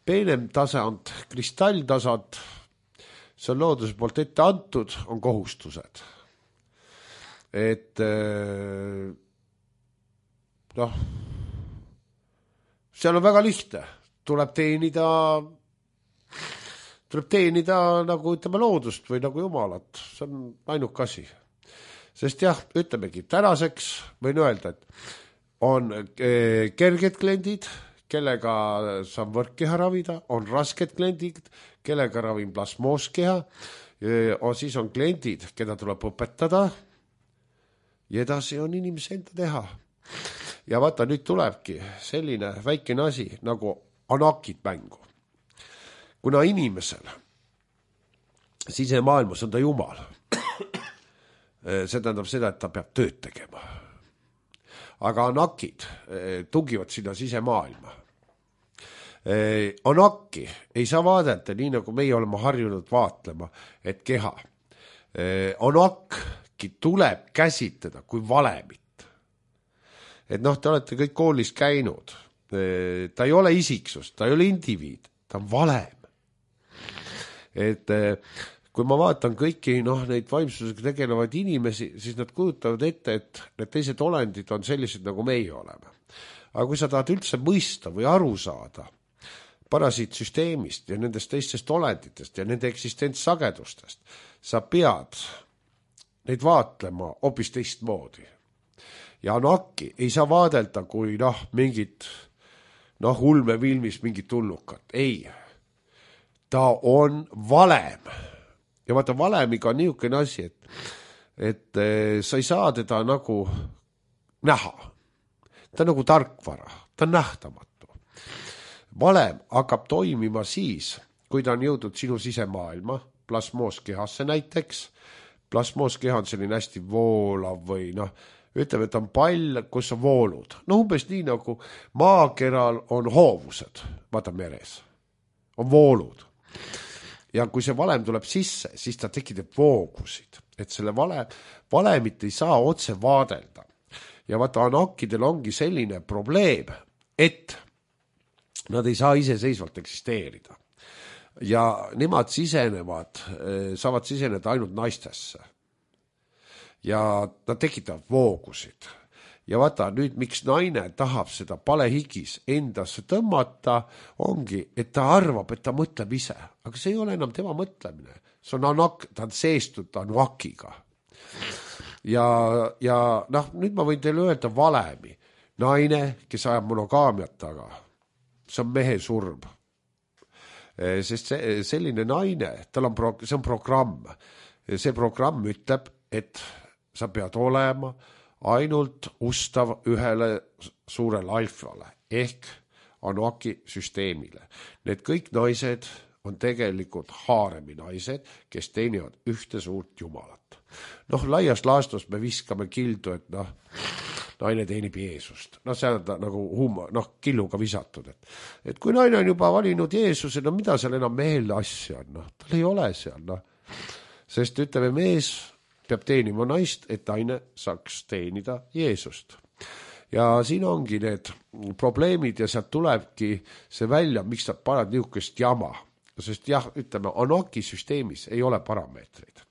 peenem tasand, kristalltasand, see on looduse poolt ette antud, on kohustused. Et noh, seal on väga lihtne. Tuleb teenida, tuleb teenida nagu ütleme loodust või nagu jumalat. See on ainuk asi. Sest jah, ütlemegi, tänaseks võin öelda, et on kerged kliendid, kellega saan võrkkeha ravida, on rasked kliendid, kellega ravin plasmooskeha, siis on kliendid, keda tuleb õpetada, ja edasi on inimese enda teha. Ja vaata, nüüd tulebki selline väikene asi nagu anakid mängu. Kuna inimesel sisemaailmas on ta jumal, see tähendab seda, et ta peab tööd tegema. Aga anakid tungivad sinna sisemaailma. Anaki ei saa vaadelda nii, nagu meie oleme harjunud vaatlema, et keha. Anakki tuleb käsitleda kui valemit. Et noh, te olete kõik koolis käinud. Ta ei ole isiksus, ta ei ole indiviid, ta on valem. Et kui ma vaatan kõiki noh, neid vaimsusega tegelevaid inimesi, siis nad kujutavad ette, et need teised olendid on sellised, nagu meie oleme. Aga kui sa tahad üldse mõista või aru saada parasiitsüsteemist ja nendest teistest olenditest ja nende eksistentsagedustest, sa pead neid vaatlema hoopis teistmoodi. Ja anakki ei saa vaadelda kui noh, mingit noh, ulmefilmis mingit tulnukat. Ei, ta on valem. Ja vaata, valemiga on niisugune asi, et, et sa ei saa teda nagu näha. Ta on nagu tarkvara, ta on nähtamatu. Valem hakkab toimima siis, kui ta on jõudnud sinu sisemaailma, plasmooskehasse näiteks. Plasmooskeha on selline hästi voolav või noh, ütleme, et on pall, kus on voolud. No umbes nii nagu maakeral on hoovused, vaata meres, on voolud. Ja kui see valem tuleb sisse, siis ta tekitab voogusid, et selle vale, valemit ei saa otse vaadelda. Ja vaata, anakidel ongi selline probleem, et nad ei saa iseseisvalt eksisteerida. Ja nemad sisenevad, saavad siseneda ainult naistesse. Ja nad tekitavad voogusid. Ja vaata, nüüd miks naine tahab seda palehigis endasse tõmmata, ongi, et ta arvab, et ta mõtleb ise. Aga see ei ole enam tema mõtlemine. See on anak, ta on seestud anakiga. Ja, ja noh, nüüd ma võin teile öelda valemi. Naine, kes ajab monogaamiat taga, see on mehe surm. Sest see, selline naine, tal on pro, see on programm. See programm ütleb, et sa pead olema ainult ustav ühele suurele alfale ehk anaki süsteemile. Need kõik naised on tegelikult haaremi naised, kes teenivad ühte suurt jumalat. Noh, laias laastus me viskame kildu, et noh, naine teenib Jeesust. Noh, see on nagu humor, noh, killuga visatud. Et, et kui naine on juba valinud Jeesuse, no mida seal enam mehel asja on? Noh, tal ei ole seal, noh. Sest ütleme, mees peab teenima naist, et naine saaks teenida Jeesust. Ja siin ongi need probleemid ja sealt tulebki see välja, miks nad panevad niisugust jama. Sest jah, ütleme, anaki süsteemis ei ole parameetreid.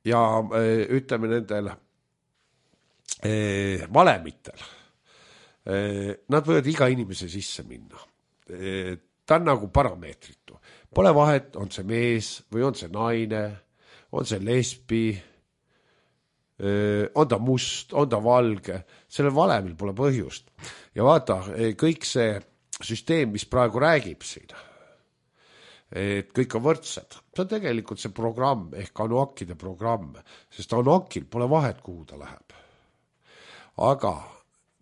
Ja ütleme nendel valemitel, nad võivad iga inimese sisse minna. Ta on nagu parameetritu. Pole vahet, on see mees või on see naine, on see lesbi, on ta must, on ta valge, sellel valemil pole põhjust. Ja vaata, kõik see süsteem, mis praegu räägib siin, et kõik on võrdsed, see on tegelikult see programm ehk anakide programm, sest anakil pole vahet, kuhu ta läheb. Aga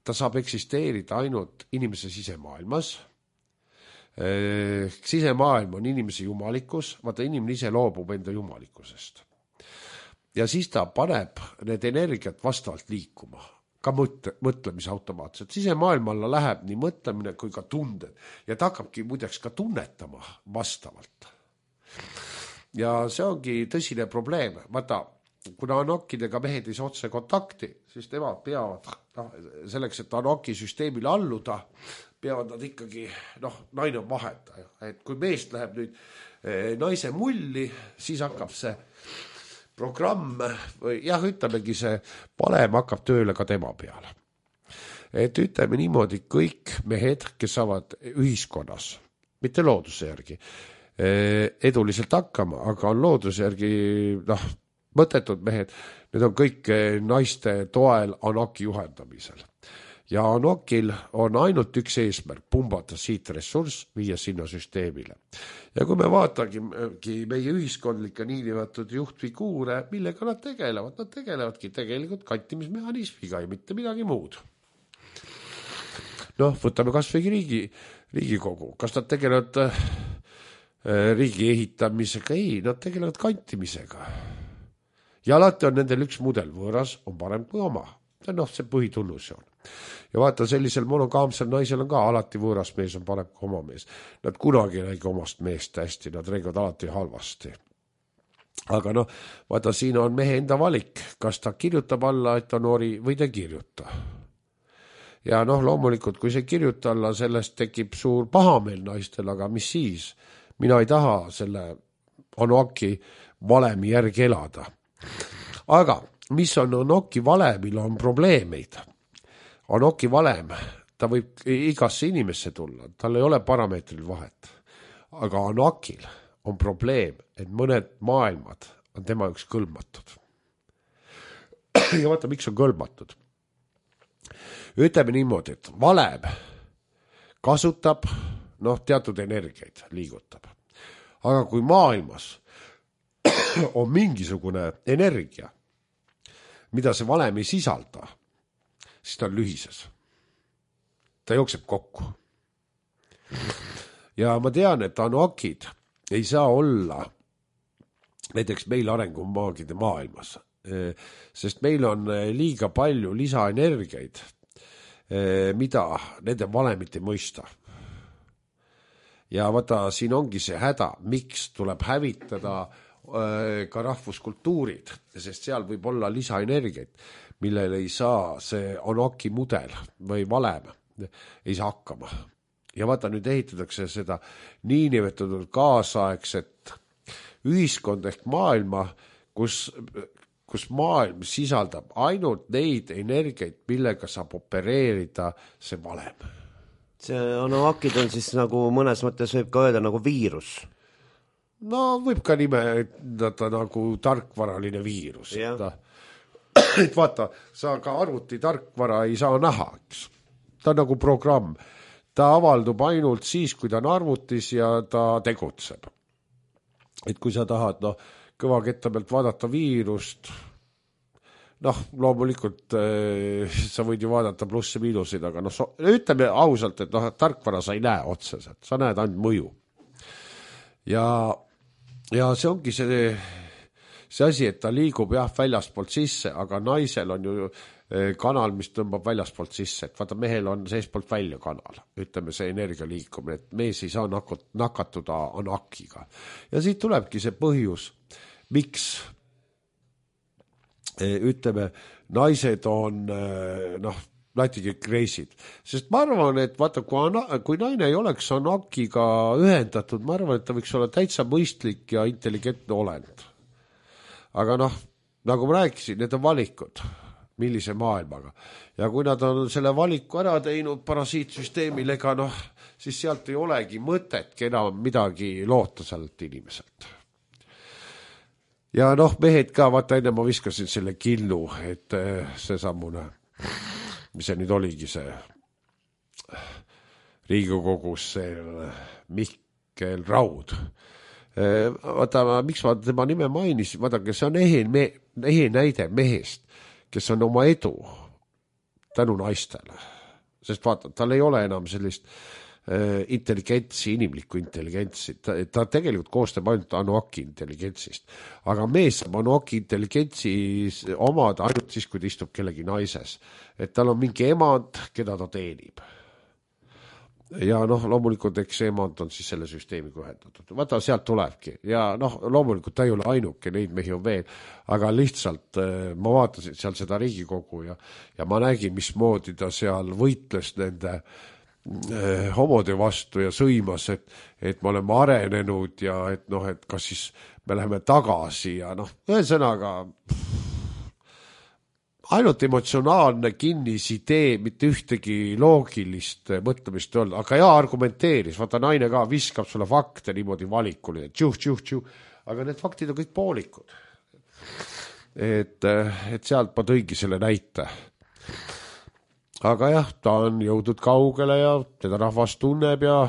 ta saab eksisteerida ainult inimese sisemaailmas. Sisemaailm on inimese jumalikus, vaata inimene ise loobub enda jumalikkusest. Ja siis ta paneb need energiat vastavalt liikuma, ka mõtle, mõtlemise automaatselt. Sisemaailma alla läheb nii mõtlemine kui ka tunded ja ta hakkabki muideks ka tunnetama vastavalt. Ja see ongi tõsine probleem. Vaata, kuna anakidega mehed ei saa otse kontakti, siis nemad peavad, noh, selleks, et anaki süsteemile alluda, peavad nad ikkagi, noh, naine on vahetaja. Et kui meest läheb nüüd eh, naise mulli, siis hakkab see programm, või jah, ütlemegi see valem hakkab tööle ka tema peale. Et ütleme niimoodi, kõik mehed, kes saavad ühiskonnas, mitte looduse järgi, eh, eduliselt hakkama, aga on looduse järgi, noh, mõttetud mehed, need on kõik naiste toel anaki juhendamisel. Ja anakil on ainult üks eesmärk, pumbata siit ressurss, viia sinna süsteemile. Ja kui me vaatagi meie ühiskondlikke niinimetud juhtfiguure, millega nad tegelevad, nad tegelevadki tegelikult kantimismehhanismiga ja mitte midagi muud. noh, võtame kas või riigi, riigikogu, kas nad tegelevad äh, riigi ehitamisega, ei, nad tegelevad kantimisega. Ja alati on nendel üks mudel, võõras on parem kui oma. Noh, see põhitunnus on. Ja vaata, sellisel monogaamsel naisel on ka alati võõras mees on parem kui oma mees. Nad kunagi ei räägi omast meest hästi, nad räägivad alati halvasti. Aga noh, vaata, siin on mehe enda valik, kas ta kirjutab alla, et ta noori või ta kirjuta. Ja noh, loomulikult, kui see kirjuta alla, sellest tekib suur pahameel naistel, aga mis siis? Mina ei taha selle Anoki valemi järgi elada. Aga mis on Anoki valemil, on probleemeid. Anoki valem, ta võib igasse inimesse tulla, tal ei ole parameetril vahet. Aga Anokil on probleem, et mõned maailmad on tema üks kõlbmatud. Ja vaata, miks on kõlbmatud. Ütleme niimoodi, et valem kasutab noh, teatud energiaid liigutab. Aga kui maailmas on mingisugune energia, mida see valem ei sisalda, siis ta on lühises. Ta jookseb kokku. Ja ma tean, et Anokid ei saa olla näiteks meil arengumaagide maailmas, sest meil on liiga palju lisaenergiaid, mida nende valemid ei mõista. Ja vaata, siin ongi see häda, miks tuleb hävitada ka rahvuskultuurid, sest seal võib olla lisaenergiaid, millel ei saa see Anoki mudel või valem ei saa hakkama. Ja vaata, nüüd ehitatakse seda niinimetatud kaasaegset ühiskond ehk maailma, kus, kus maailm sisaldab ainult neid energiaid, millega saab opereerida see valem. See Anokid on siis nagu mõnes mõttes võib ka öelda nagu viirus. No võib ka nimetada nagu tarkvaraline viirus. Ta, et vaata, sa ka arvuti tarkvara ei saa näha, eks. Ta on nagu programm. Ta avaldub ainult siis, kui ta on arvutis ja ta tegutseb. Et kui sa tahad no, kõva ketta pealt vaadata viirust, noh, loomulikult äh, sa võid ju vaadata plusse miinusid, aga noh, so, ütleme ausalt, et noh, tarkvara sa ei näe otseselt, sa näed ainult mõju. Ja Ja see ongi see, see asi, et ta liigub jah väljaspoolt sisse, aga naisel on ju kanal, mis tõmbab väljaspoolt sisse. Et vaata, mehel on seespoolt välja kanal, ütleme see energia liikumine, et mees ei saa nakatuda Anokiga. Ja siit tulebki see põhjus, miks ütleme, naised on noh, latigi kreisid. Sest ma arvan, et vaata, kui, kui naine ei oleks Anokiga ühendatud, ma arvan, et ta võiks olla täitsa mõistlik ja intelligentne olend. Aga noh, nagu ma rääkisin, need on valikud, millise maailmaga. Ja kui nad on selle valiku ära teinud parasiitsüsteemil, ega noh, siis sealt ei olegi mõtetki enam midagi loota sealt inimeselt. Ja noh, mehed ka, vaata enne ma viskasin selle killu, et see sammune mis see nüüd oligi see Riigikogus see Mihkel Raud. Vaata, miks ma tema nime mainisin, vaadake, see on ehe, me, ehe näide mehest, kes on oma edu tänu naistele. Sest vaata, tal ei ole enam sellist äh, intelligentsi, inimlikku intelligentsi. Ta, ta tegelikult koostab ainult Anoki intelligentsist. Aga mees saab Anoki intelligentsi omada ainult siis, kui ta istub kellegi naises. Et tal on mingi emand, keda ta teenib. Ja noh, loomulikult eks see emand on siis selle süsteemiga ühendatud. Vaata, sealt tulebki. Ja noh, loomulikult ta ei ole ainuke, neid mehi on veel. Aga lihtsalt ma vaatasin seal seda Riigikogu ja, ja ma nägin, mismoodi ta seal võitles nende eh, homode vastu ja sõimas, et, et me oleme arenenud ja et noh, et kas siis me läheme tagasi ja noh, ühesõnaga ainult emotsionaalne kinnisidee, mitte ühtegi loogilist mõtlemist ei olnud, aga ja argumenteeris, vaata naine ka viskab sulle fakte niimoodi valikuli, et tšuh, tšuh, tšuh, aga need faktid on kõik poolikud. Et, et sealt ma tõigi selle näite. Aga jah, ta on jõudnud kaugele ja teda rahvas tunneb ja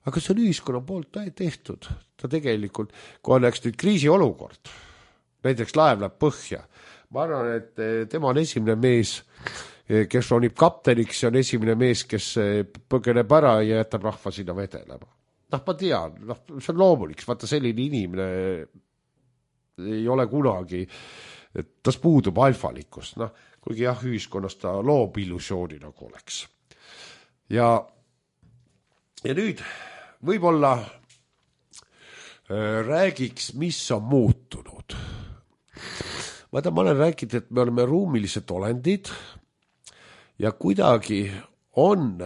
aga see on ühiskonna poolt tehtud. Ta tegelikult, kui oleks nüüd kriisiolukord, näiteks laev läheb põhja, ma arvan, et tema on esimene mees, kes ronib kapteniks ja on esimene mees, kes põgeneb ära ja jätab rahva sinna vedelema. Noh, ma tean, noh, see on loomulik, vaata selline inimene ei ole kunagi, et tas puudub alfalikkus, noh, kuigi jah, ühiskonnas ta loob illusiooni nagu oleks. Ja, ja nüüd võib-olla äh, räägiks, mis on muutunud. Vaata, ma olen rääkinud, et me oleme ruumilised olendid ja kuidagi on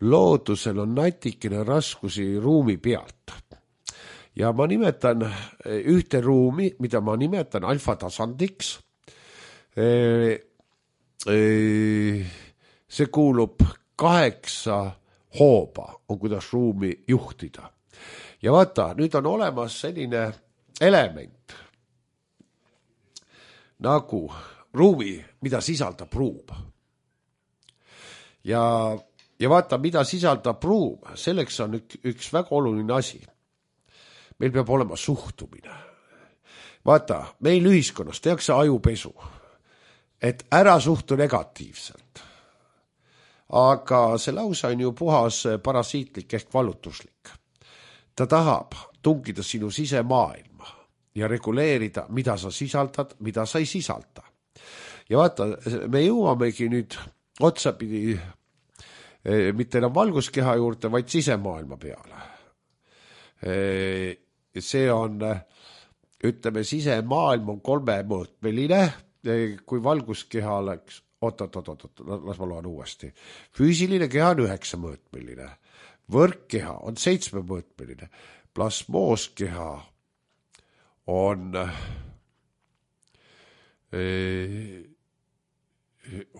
loodusel on natikene raskusi ruumi pealt. Ja ma nimetan ühte ruumi, mida ma nimetan alfatasandiks. See kuulub kaheksa hooba, on kuidas ruumi juhtida. Ja vaata, nüüd on olemas selline element nagu ruumi, mida sisaldab ruum. Ja, ja vaata, mida sisaldab ruum, selleks on üks, üks väga oluline asi. Meil peab olema suhtumine. Vaata, meil ühiskonnas tehakse ajupesu, et ära suhtu negatiivselt. Aga see lausa on ju puhas parasiitlik ehk valutuslik. Ta tahab tungida sinu sisemaailma ja reguleerida, mida sa sisaldad, mida sa ei sisalda. Ja vaata, me jõuamegi nüüd otsapidi mitte enam valguskeha juurde, vaid sisemaailma peale. See on, ütleme, sisemaailm on kolmemõõtmeline, kui valguskeha oleks, oot, oot, oot, oot, las ma loen uuesti. Füüsiline keha on üheksamõõtmeline, võrkkeha on seitsmemõõtmeline, plasmooskeha on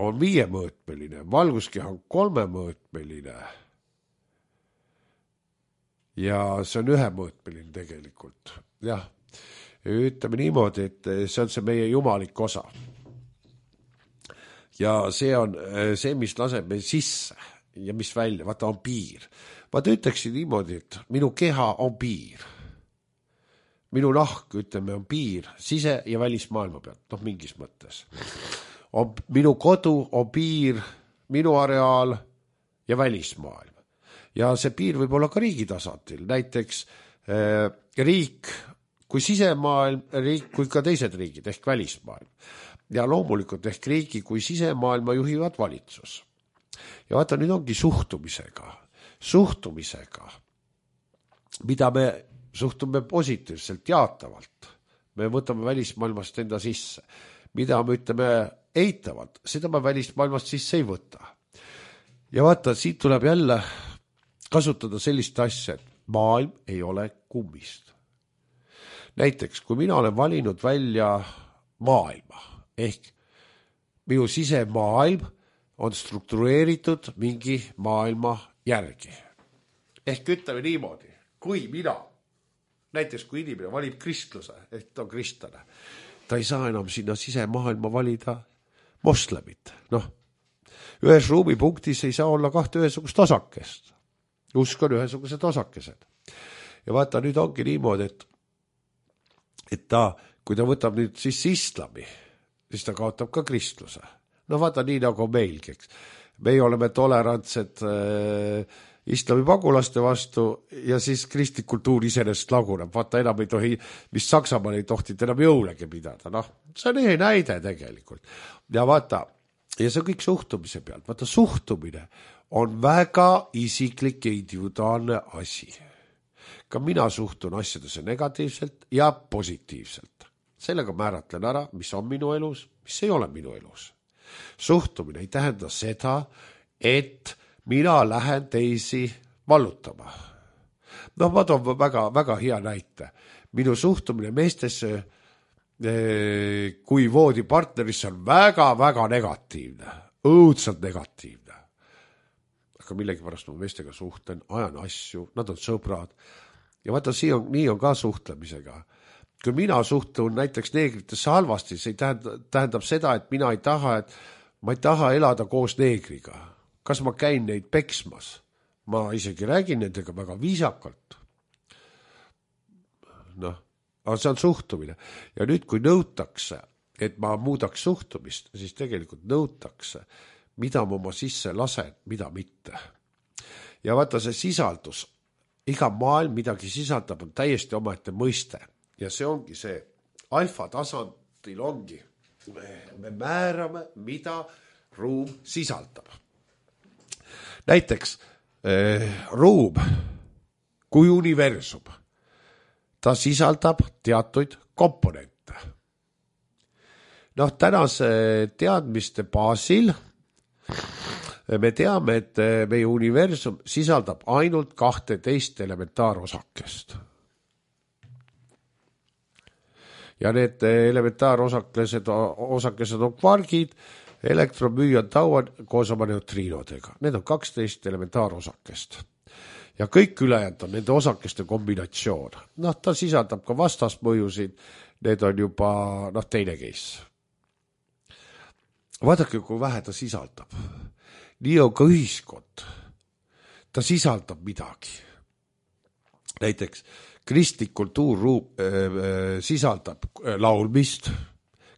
on viiemõõtmeline, valguskeha on kolmemõõtmeline ja see on ühemõõtmeline tegelikult. Jah, ütleme niimoodi, et see on see meie jumalik osa. Ja see on see, mis laseb meil sisse ja mis välja, vaata on piir. Vaata ütleksin niimoodi, et minu keha on piir. Minu nahk, ütleme, on piir sise- ja välismaailma pealt, noh mingis mõttes. On, minu kodu on piir, minu areaal ja välismaailm. Ja see piir võib olla ka riigi tasandil, näiteks äh, riik kui sisemaailm, riik kui ka teised riigid ehk välismaailm. Ja loomulikult ehk riigi kui sisemaailma juhivad valitsus. Ja vaata, nüüd ongi suhtumisega, suhtumisega, mida me suhtume positiivselt, jaatavalt. Me võtame välismaailmast enda sisse. Mida me ütleme eitavalt, seda me välismaailmast sisse ei võta. Ja vaata, siit tuleb jälle kasutada sellist asja, et maailm ei ole kummist. Näiteks, kui mina olen valinud välja maailma, ehk minu sisemaailm on struktureeritud mingi maailma järgi. Ehk ütleme niimoodi, kui mina, näiteks kui inimene valib kristluse, ehk ta on kristlane, ta ei saa enam sinna sisemaailma valida moslemit. Noh, ühes ruumipunktis ei saa olla kahte ühesugust osakest. Usk on ühesugused osakesed. Ja vaata, nüüd ongi niimoodi, et, et ta, kui ta võtab nüüd siis islami, siis ta kaotab ka kristluse. No vaata, nii nagu meilgi, eks. Meie oleme tolerantsed äh, islami pagulaste vastu ja siis kristlik kultuur iseenesest laguneb. Vaata, enam ei tohi, mis Saksamaal ei tohtid enam jõulegi pidada. Noh, see on ühe näide tegelikult. Ja vaata, ja see kõik suhtumise pealt. Vaata, suhtumine on väga isiklik ja individuaalne asi. Ka mina suhtun asjadesse negatiivselt ja positiivselt. Sellega määratlen ära, mis on minu elus, mis ei ole minu elus. Suhtumine ei tähenda seda, et mina lähen teisi vallutama. Noh, ma toon väga, väga hea näite. Minu suhtumine meestesse kui voodipartnerisse on väga, väga negatiivne. Õudselt negatiivne. Aga millegi pärast ma meestega suhtlen, ajan asju, nad on sõbrad. Ja vaata, on, nii on ka suhtlemisega. Kui mina suhtun näiteks neegritesse halvasti, see tähendab, tähendab seda, et mina ei taha, et ma ei taha elada koos neegriga. Kas ma käin neid peksmas? Ma isegi räägin nendega väga viisakalt. Noh, aga see on suhtumine. Ja nüüd, kui nõutakse, et ma muudaks suhtumist, siis tegelikult nõutakse, mida ma oma sisse lasen, mida mitte. Ja vaata see sisaldus, iga maailm midagi sisaldab, on täiesti omaette mõiste. Ja see ongi see, alfa tasandil ongi, me määrame, mida ruum sisaldab. Näiteks eh, ruum kui universum, ta sisaldab teatuid komponente. Noh, tänase teadmiste baasil me teame, et meie universum sisaldab ainult kahteteist elementaarosakest. Ja need elementaarosakesed osakesed on kvargid, elektromüüon tauad koos oma neutriinodega. Need on kaksteist elementaarosakest. Ja kõik ülejäänud on nende osakeste kombinatsioon. Noh, ta sisaldab ka vastasmõjusid, need on juba noh, teine case. Vaadake, kui vähe ta sisaldab. Nii on ka ühiskond. Ta sisaldab midagi. Näiteks kristlik kultuurruum äh, sisaldab laulmist.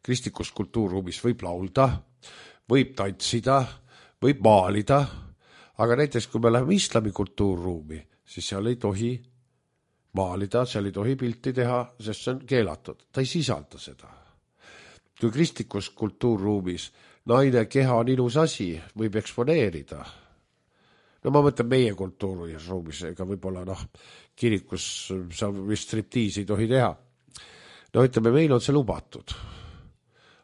Kristlikus kultuurruumis võib laulda, võib tantsida, võib maalida, aga näiteks kui me läheme islami kultuurruumi, siis seal ei tohi maalida, seal ei tohi pilti teha, sest see on keelatud. Ta ei sisalda seda. Kui kristlikus kultuurruumis naine keha on ilus asi, võib eksponeerida. No ma mõtlen meie kultuuriruumis, ega võib-olla noh, kirikus sa vist striptiisi ei tohi teha. No ütleme, meil on see lubatud.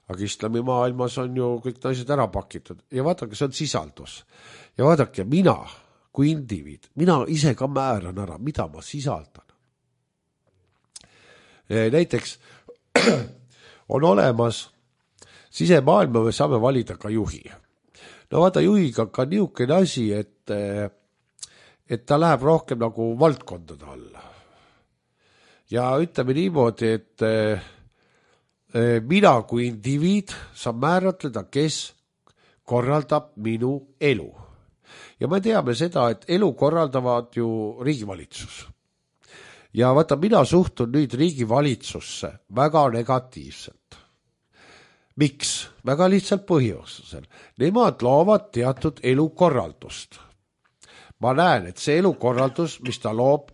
Aga islami maailmas on ju kõik naised ära pakitud. Ja vaadake, see on sisaldus. Ja vaadake, mina kui indiviid, mina ise ka määran ära, mida ma sisaldan. Näiteks on olemas sisemaailma, me saame valida ka juhi. No vaata, juhiga ka niisugune asi, et, et ta läheb rohkem nagu valdkondade alla. Ja ütleme niimoodi, et mina kui indiviid saan määratleda, kes korraldab minu elu. Ja me teame seda, et elu korraldavad ju riigivalitsus. Ja vaata, mina suhtun nüüd riigivalitsusse väga negatiivselt. Miks? Väga lihtsalt põhjusel. Nemad loovad teatud elukorraldust. Ma näen, et see elukorraldus, mis ta loob,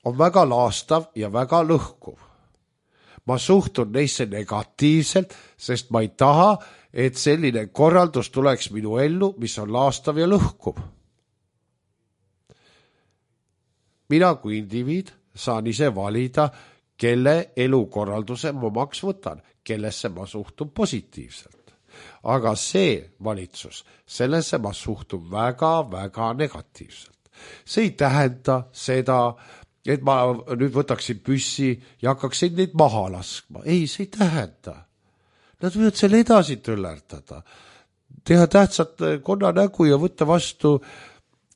on väga laastav ja väga lõhkuv. Ma suhtun neisse negatiivselt, sest ma ei taha, et selline korraldus tuleks minu ellu, mis on laastav ja lõhkuv. Mina kui indiviid saan ise valida, kelle elukorralduse ma omaks võtan, kellesse ma suhtun positiivselt. Aga see valitsus, sellesse ma suhtun väga-väga negatiivselt. See ei tähenda seda, et ma nüüd võtaksin püssi ja hakkaksin neid maha laskma. Ei, see ei tähenda. Nad võivad selle edasi tõllerdada, teha tähtsat konnanägu ja võtta vastu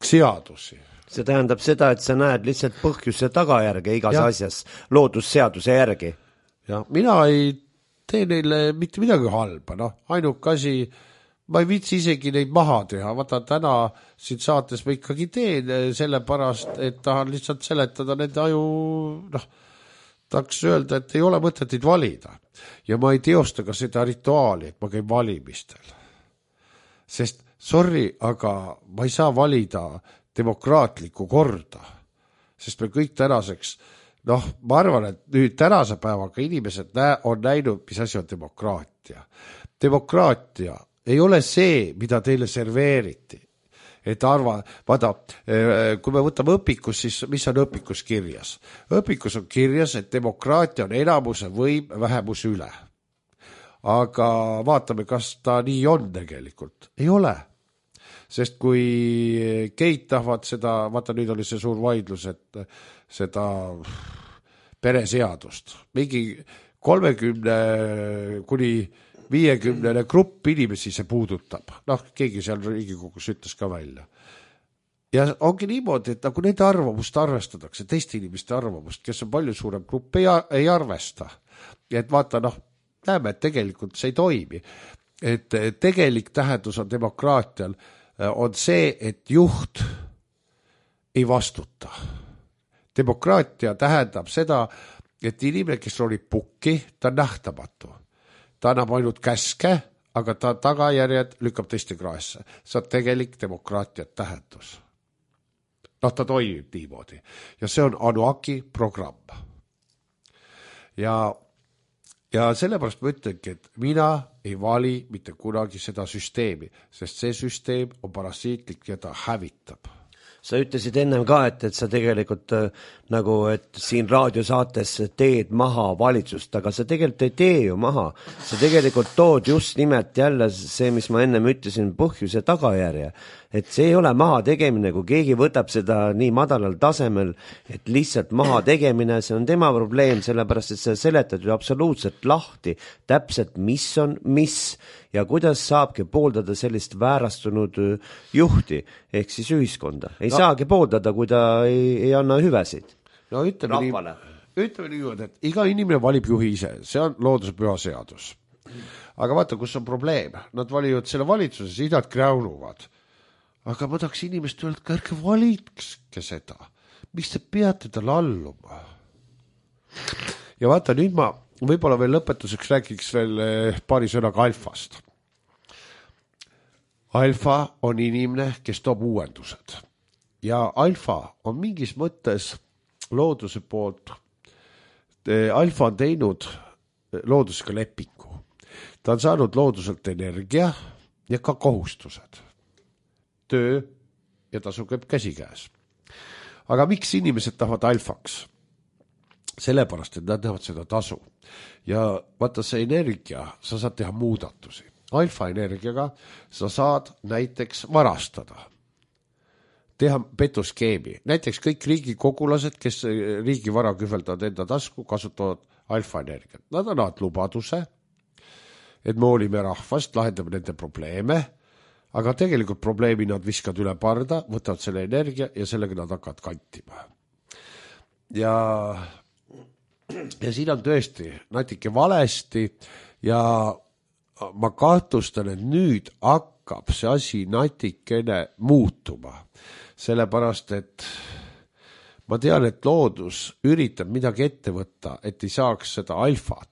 seadusi. See tähendab seda, et sa näed lihtsalt põhjuse tagajärge igas ja. Asjas, loodusseaduse järgi. Ja mina ei tee neile mitte midagi halba, noh, ainuke asi, ma ei viitsi isegi neid maha teha, vaata täna siin saates ma ikkagi teen sellepärast, et tahan lihtsalt seletada nende aju, noh, tahaks öelda, et ei ole mõtet neid valida. Ja ma ei teosta ka seda rituaali, et ma käin valimistel. Sest, sorry, aga ma ei saa valida demokraatlikku korda, sest me kõik tänaseks, noh, ma arvan, et nüüd tänase päevaga inimesed nä- on näinud, mis asi on demokraatia. Demokraatia ei ole see, mida teile serveeriti. Et arva, vaada, kui me võtame õpikus, siis mis on õpikus kirjas? Õpikus on kirjas, et demokraatia on enamuse võim vähemuse üle. Aga vaatame, kas ta nii on tegelikult. Ei ole. Sest kui Keit tahvad seda, vaata nüüd oli see suur vaidlus, et seda pereseadust, mingi kolmekümne kuni viiekümnene grupp inimesi see puudutab. Noh, keegi seal Riigikogus ütles ka välja. Ja ongi niimoodi, et nagu nende arvamust arvestatakse, teiste inimeste arvamust, kes on palju suurem grupp, ei, ei arvesta. Et vaata, noh, näeme, et tegelikult see ei toimi. Et tegelik tähendus on demokraatial on see, et juht ei vastuta. Demokraatia tähendab seda, et inimene, kes oli pukki, ta on nähtamatu. ta annab ainult käske, aga ta tagajärjed lükkab teiste kraesse. See on tegelik demokraatiat tähendus. Noh, ta toimib niimoodi. Ja see on Anuaki programm. Ja, ja sellepärast ma ütlengi, et mina ei vali mitte kunagi seda süsteemi, sest see süsteem on parasiitlik ja ta hävitab. Sa ütlesid ennem ka, et, et sa tegelikult äh, nagu, et siin raadiosaates teed maha valitsust, aga sa tegelikult ei tee ju maha. Sa tegelikult tood just nimelt jälle see, mis ma ennem ütlesin, põhjus ja tagajärje. Et see ei ole maha tegemine, kui keegi võtab seda nii madalal tasemel, et lihtsalt maha tegemine, see on tema probleem, sellepärast, et sa seletad ju absoluutselt lahti täpselt, mis on mis ja kuidas saabki pooldada sellist väärastunud juhti, ehk siis ühiskonda. Ei no. saagi pooldada, kui ta ei, ei anna hüvesid. No ütleme nii, ütleme nii, et iga inimene valib juhi ise, see on looduse püha seadus. Aga vaata, kus on probleem. Nad valivad selle valitsuses, idad kräunuvad. Aga ma tahaks inimest öelda, et ärge valitske seda. Mis te peate tal alluma? Ja vaata, nüüd ma võib-olla veel lõpetuseks rääkiks veel paari sõnaga alfast. Alfa on inimene, kes toob uuendused. Ja alfa on mingis mõttes looduse poolt. Alfa on teinud loodusega lepingu. Ta on saanud looduselt energia ja ka kohustused. Töö ja tasu käib käsikäes. Aga miks inimesed tahavad alfaks? Sellepärast, et nad näevad seda tasu. Ja vaata see energia, sa saad teha muudatusi. Alfa energiaga sa saad näiteks varastada. Teha petuskeemi. Näiteks kõik riigikogulased, kes riigi vara kühveldavad enda tasku, kasutavad alfa energiat. Nad annavad lubaduse, et me hoolime rahvast, lahendame nende probleeme, aga tegelikult probleemi nad viskavad üle parda, võtavad selle energia ja sellega nad hakkavad kantima. Ja Ja siin on tõesti natuke valesti ja ma kahtlustan, et nüüd hakkab see asi natikene muutuma. Sellepärast, et ma tean, et loodus üritab midagi ette võtta, et ei saaks seda alfat,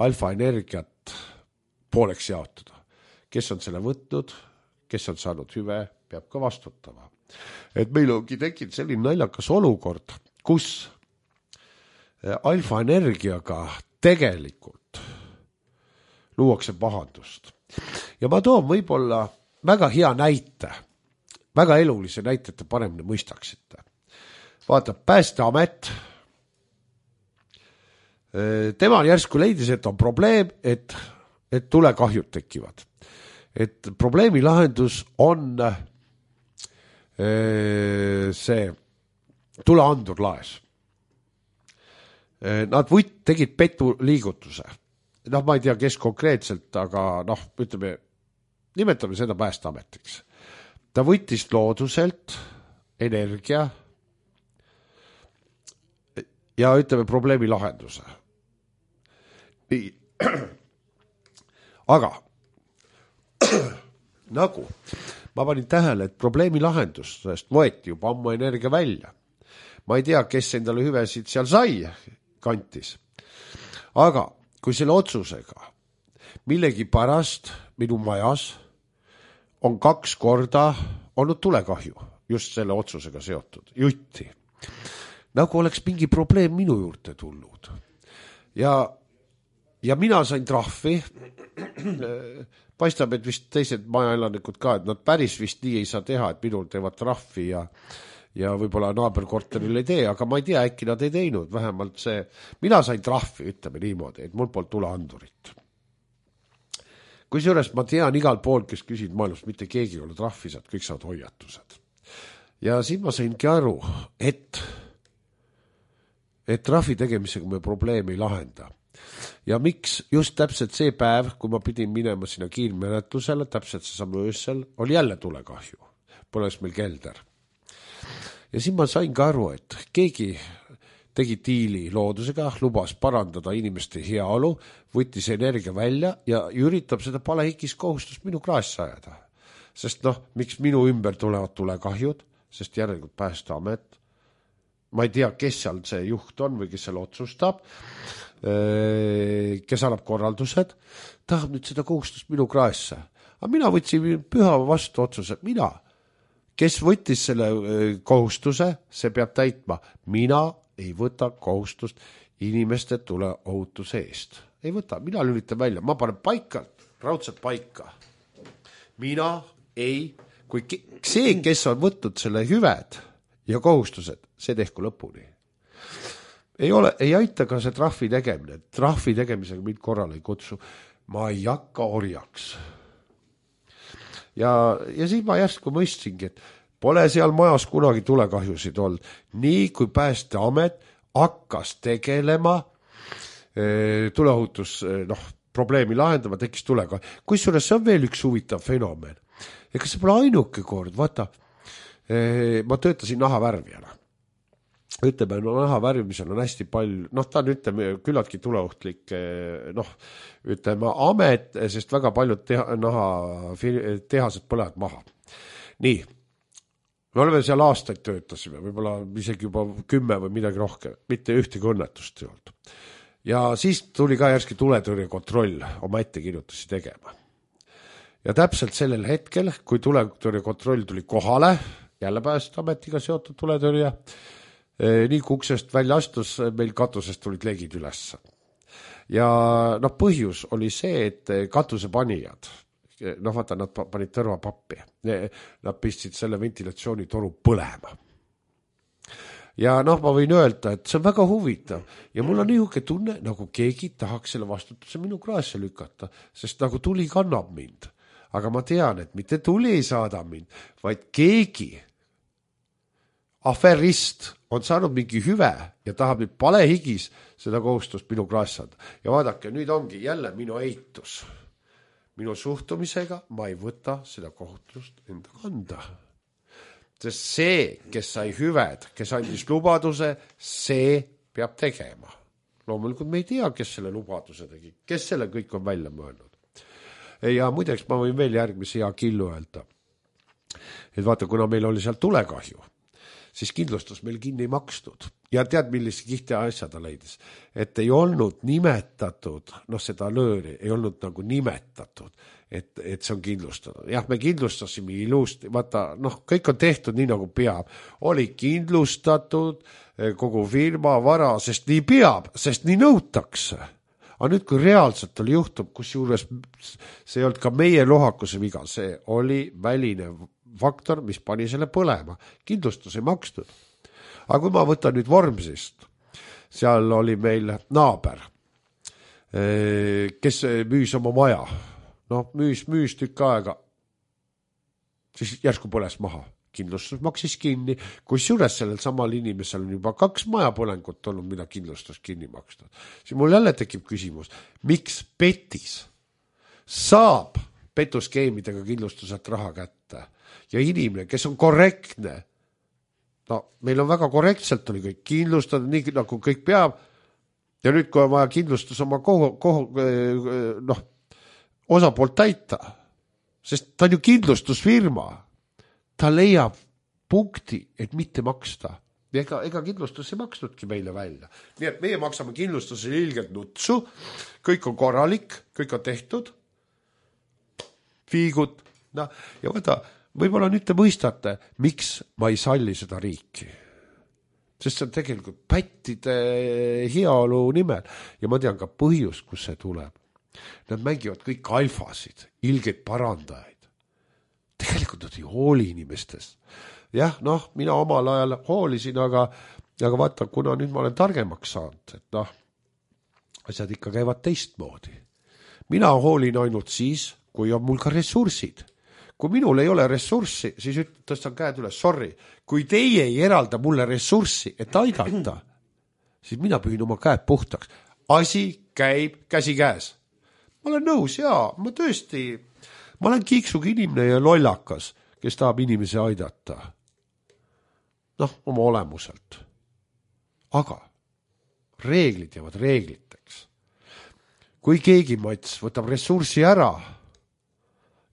alfa energiat pooleks jaotada. Kes on selle võtnud, kes on saanud hüve, peab ka vastutama. Et meil ongi tekkinud selline naljakas olukord, kus alfa energiaga tegelikult luuakse pahandust. Ja ma toon võib-olla väga hea näite, väga elulise näite, et te paremini mõistaksite. Vaata, Päästeamet, tema järsku leidis, et on probleem, et, et tulekahjud tekivad. Et probleemi lahendus on see tuleandur laes. Nad võt, tegid petu liigutuse. Noh, ma ei tea, kes konkreetselt, aga noh, ütleme, nimetame seda Päästeametiks. Ta võttis looduselt energia ja ütleme probleemi lahenduse. Nii. Aga nagu ma panin tähele, et probleemi lahendusest võeti juba ammu energia välja. Ma ei tea, kes endale hüvesid seal sai kantis. Aga kui selle otsusega millegi pärast minu majas on kaks korda olnud tulekahju, just selle otsusega seotud, jutti. Nagu oleks mingi probleem minu juurde tulnud. Ja, ja mina sain trahvi, paistab, et vist teised majaelanikud ka, et nad päris vist nii ei saa teha, et minul teevad trahvi ja ja võib-olla naaberkorteril ei tee, aga ma ei tea, äkki nad ei teinud, vähemalt see, mina sain trahvi, ütleme niimoodi, et mul poolt tuleandurit. Kui seejuures ma tean igal pool, kes küsid maailmast, mitte keegi ei ole trahvi saad, kõik saavad hoiatused. Ja siin ma saingi aru, et, et trahvi tegemisega me probleemi ei lahenda. Ja miks just täpselt see päev, kui ma pidin minema sinna kiirmenetlusele, täpselt see samu öössel, oli jälle tulekahju. Põles meil kelder. Ja siin ma sain ka aru, et keegi tegi diili loodusega, lubas parandada inimeste heaolu, võttis energia välja ja üritab seda palehikis kohustust minu kraesse ajada. Sest noh, miks minu ümber tulevad tulekahjud, sest järelikult Päästeamet ma ei tea, kes seal see juht on või kes seal otsustab, kes annab korraldused, tahab nüüd seda kohustust minu kraesse. Aga mina võtsin püha vastu otsuse, mina, kes võttis selle kohustuse, see peab täitma. Mina ei võta kohustust inimeste tuleohutuse eest. Ei võta, mina lülitan välja, ma panen paika, raudselt paika. Mina ei, kui see, kes on võtnud selle hüved ja kohustused, see tehku lõpuni. Ei ole, ei aita ka see trahvi tegemine. Trahvi tegemisega mind korral ei kutsu. Ma ei hakka orjaks. Ja, ja siis ma järsku mõistsingi, et pole seal majas kunagi tulekahjusid olnud. Nii kui Päästeamet hakkas tegelema e, tuleohutus noh, probleemi lahendama, tekkis tulekahju. Kusjuures see on veel üks huvitav fenomen. Ega see pole ainuke kord, vaata, e, ma töötasin nahavärvijana. Ütleme, no naha värvimisel on hästi palju, noh, ta on ütleme, küllaltki tuleohtlik, noh, ütleme, amet, sest väga paljud teha, naha tehased põlevad maha. Nii, me oleme seal aastaid töötasime, võib-olla isegi juba kümme või midagi rohkem, mitte ühtegi õnnetust ei olnud. Ja siis tuli ka järski tuletõrje kontroll oma ettekirjutusi tegema. Ja täpselt sellel hetkel, kui tuletõrje kontroll tuli kohale, jälle Päästeametiga seotud tuletõrje, nii kui uksest välja astus, meil katusest tulid legid üles. Ja noh, põhjus oli see, et katusepanijad, noh vaata, nad panid tõrvapappi, nad pistsid selle ventilatsioonitoru põlema. Ja noh, ma võin öelda, et see on väga huvitav ja mul on niisugune tunne, nagu keegi tahaks selle vastutuse minu kraesse lükata, sest nagu tuli kannab mind. Aga ma tean, et mitte tuli ei saada mind, vaid keegi aferist on saanud mingi hüve ja tahab nüüd palehigis seda kohustust minu krassada. Ja vaadake, nüüd ongi jälle minu eitus. Minu suhtumisega ma ei võta seda kohustust enda kanda. Sest see, kes sai hüved, kes andis lubaduse, see peab tegema. Loomulikult me ei tea, kes selle lubaduse tegi, kes selle kõik on välja mõelnud. Ja muideks ma võin veel järgmise hea killu öelda. Et vaata, kuna meil oli seal tulekahju, siis kindlustus meil kinni makstud. Ja tead, millise kihti asja ta leidis. Et ei olnud nimetatud, noh seda lööri, ei olnud nagu nimetatud, et, et see on kindlustatud. Jah, me kindlustasime ilusti, vaata, noh, kõik on tehtud nii nagu peab. Oli kindlustatud kogu firma vara, sest nii peab, sest nii nõutakse. Aga nüüd, kui reaalselt oli juhtub, kus juures see ei olnud ka meie lohakuse viga, see oli väline faktor, mis pani selle põlema. Kindlustus ei makstud. Aga kui ma võtan nüüd Vormsist, seal oli meil naaber, kes müüs oma maja. No müüs, müüs tükk aega, siis järsku põles maha. Kindlustus maksis kinni, kus juures sellel samal inimesel on juba kaks majapõlengut olnud, mida kindlustus kinni makstud. Siis mul jälle tekib küsimus, miks petis saab petuskeemidega kindlustuselt raha kätte? Ja inimene, kes on korrektne, no meil on väga korrektselt oli kõik kindlustada, nii nagu kõik peab, ja nüüd, kui on vaja kindlustus oma kohu, kohu, noh, osapoolt täita, sest ta on ju kindlustusfirma, ta leiab punkti, et mitte maksta. Ega, ega kindlustus ei maksnudki meile välja. Nii et meie maksame kindlustuse ilgelt nutsu, kõik on korralik, kõik on tehtud, fiigud, no, ja võta, võib-olla nüüd te mõistate, miks ma ei salli seda riiki. Sest see on tegelikult pättide heaolu nimel. Ja ma tean ka põhjus, kus see tuleb. Nad mängivad kõik alfasid, ilgeid parandajaid. Tegelikult nad ei hooli inimestest. Jah, noh, mina omal ajal hoolisin, aga, aga vaata, kuna nüüd ma olen targemaks saanud, et noh, asjad ikka käivad teistmoodi. Mina hoolin ainult siis, kui on mul ka ressursid. Kui minul ei ole ressurssi, siis tõstan käed üles, sorry. Kui teie ei eralda mulle ressurssi, et aidata, siis mina pühin oma käed puhtaks. Asi käib käsi käes. Ma olen nõus, jaa, ma tõesti, ma olen kiiksuga inimene ja lollakas, kes tahab inimesi aidata. Noh, oma olemuselt. Aga reeglid jäävad reegliteks. Kui keegi mats võtab ressurssi ära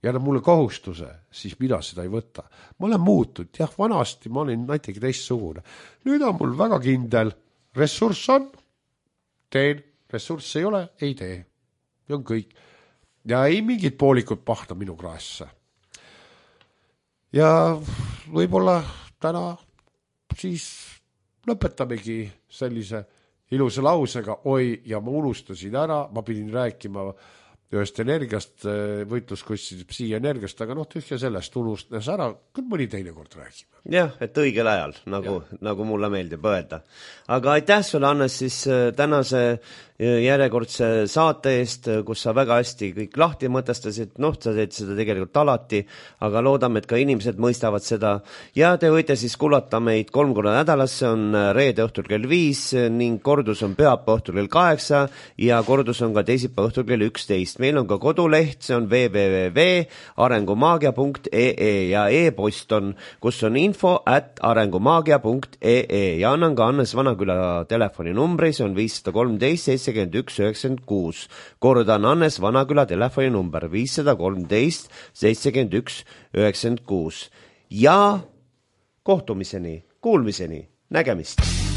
ja annab mulle kohustuse, siis mina seda ei võta. Ma olen muutunud, jah, vanasti ma olin näitegi teistsugune. Nüüd on mul väga kindel, ressurss on, teen, ressurss ei ole, ei tee. Ja on kõik. Ja ei mingid poolikud pahta minu kraesse. Ja võib-olla täna siis lõpetamegi sellise ilusa lausega, oi, ja ma unustasin ära, ma pidin rääkima ühest energiast, võitluskussid psi energiast, aga noh, tühja sellest unustas ära, küll mõni teine kord räägime. Jah, et õigel ajal, nagu, nagu mulle meeldib öelda. Aga aitäh sulle, Hannes, siis tänase järjekordse saate eest, kus sa väga hästi kõik lahti mõtestasid, noh, sa teed seda tegelikult alati, aga loodame, et ka inimesed mõistavad seda. Ja te võite siis kuulata meid kolm korda nädalas, see on reede õhtul kell viis ning kordus on pühapäeva õhtul kell kaheksa ja kordus on ka teisipäeva õhtul kell üksteist. Meil on ka koduleht, see on w w w punkt arengumaagia punkt e e ja e-post on, kus on info at arengumaagia punkt e e ja annan ka Hannes Vanaküla telefoninumbri, see on viis kolm seitse seitsekümmend üks üheksakümmend kuus. Kordan Hannes Vanaküla telefoninumber viis kolm seitsekümmend üks üheksakümmend kuus. Ja kohtumiseni, kuulmiseni, nägemist!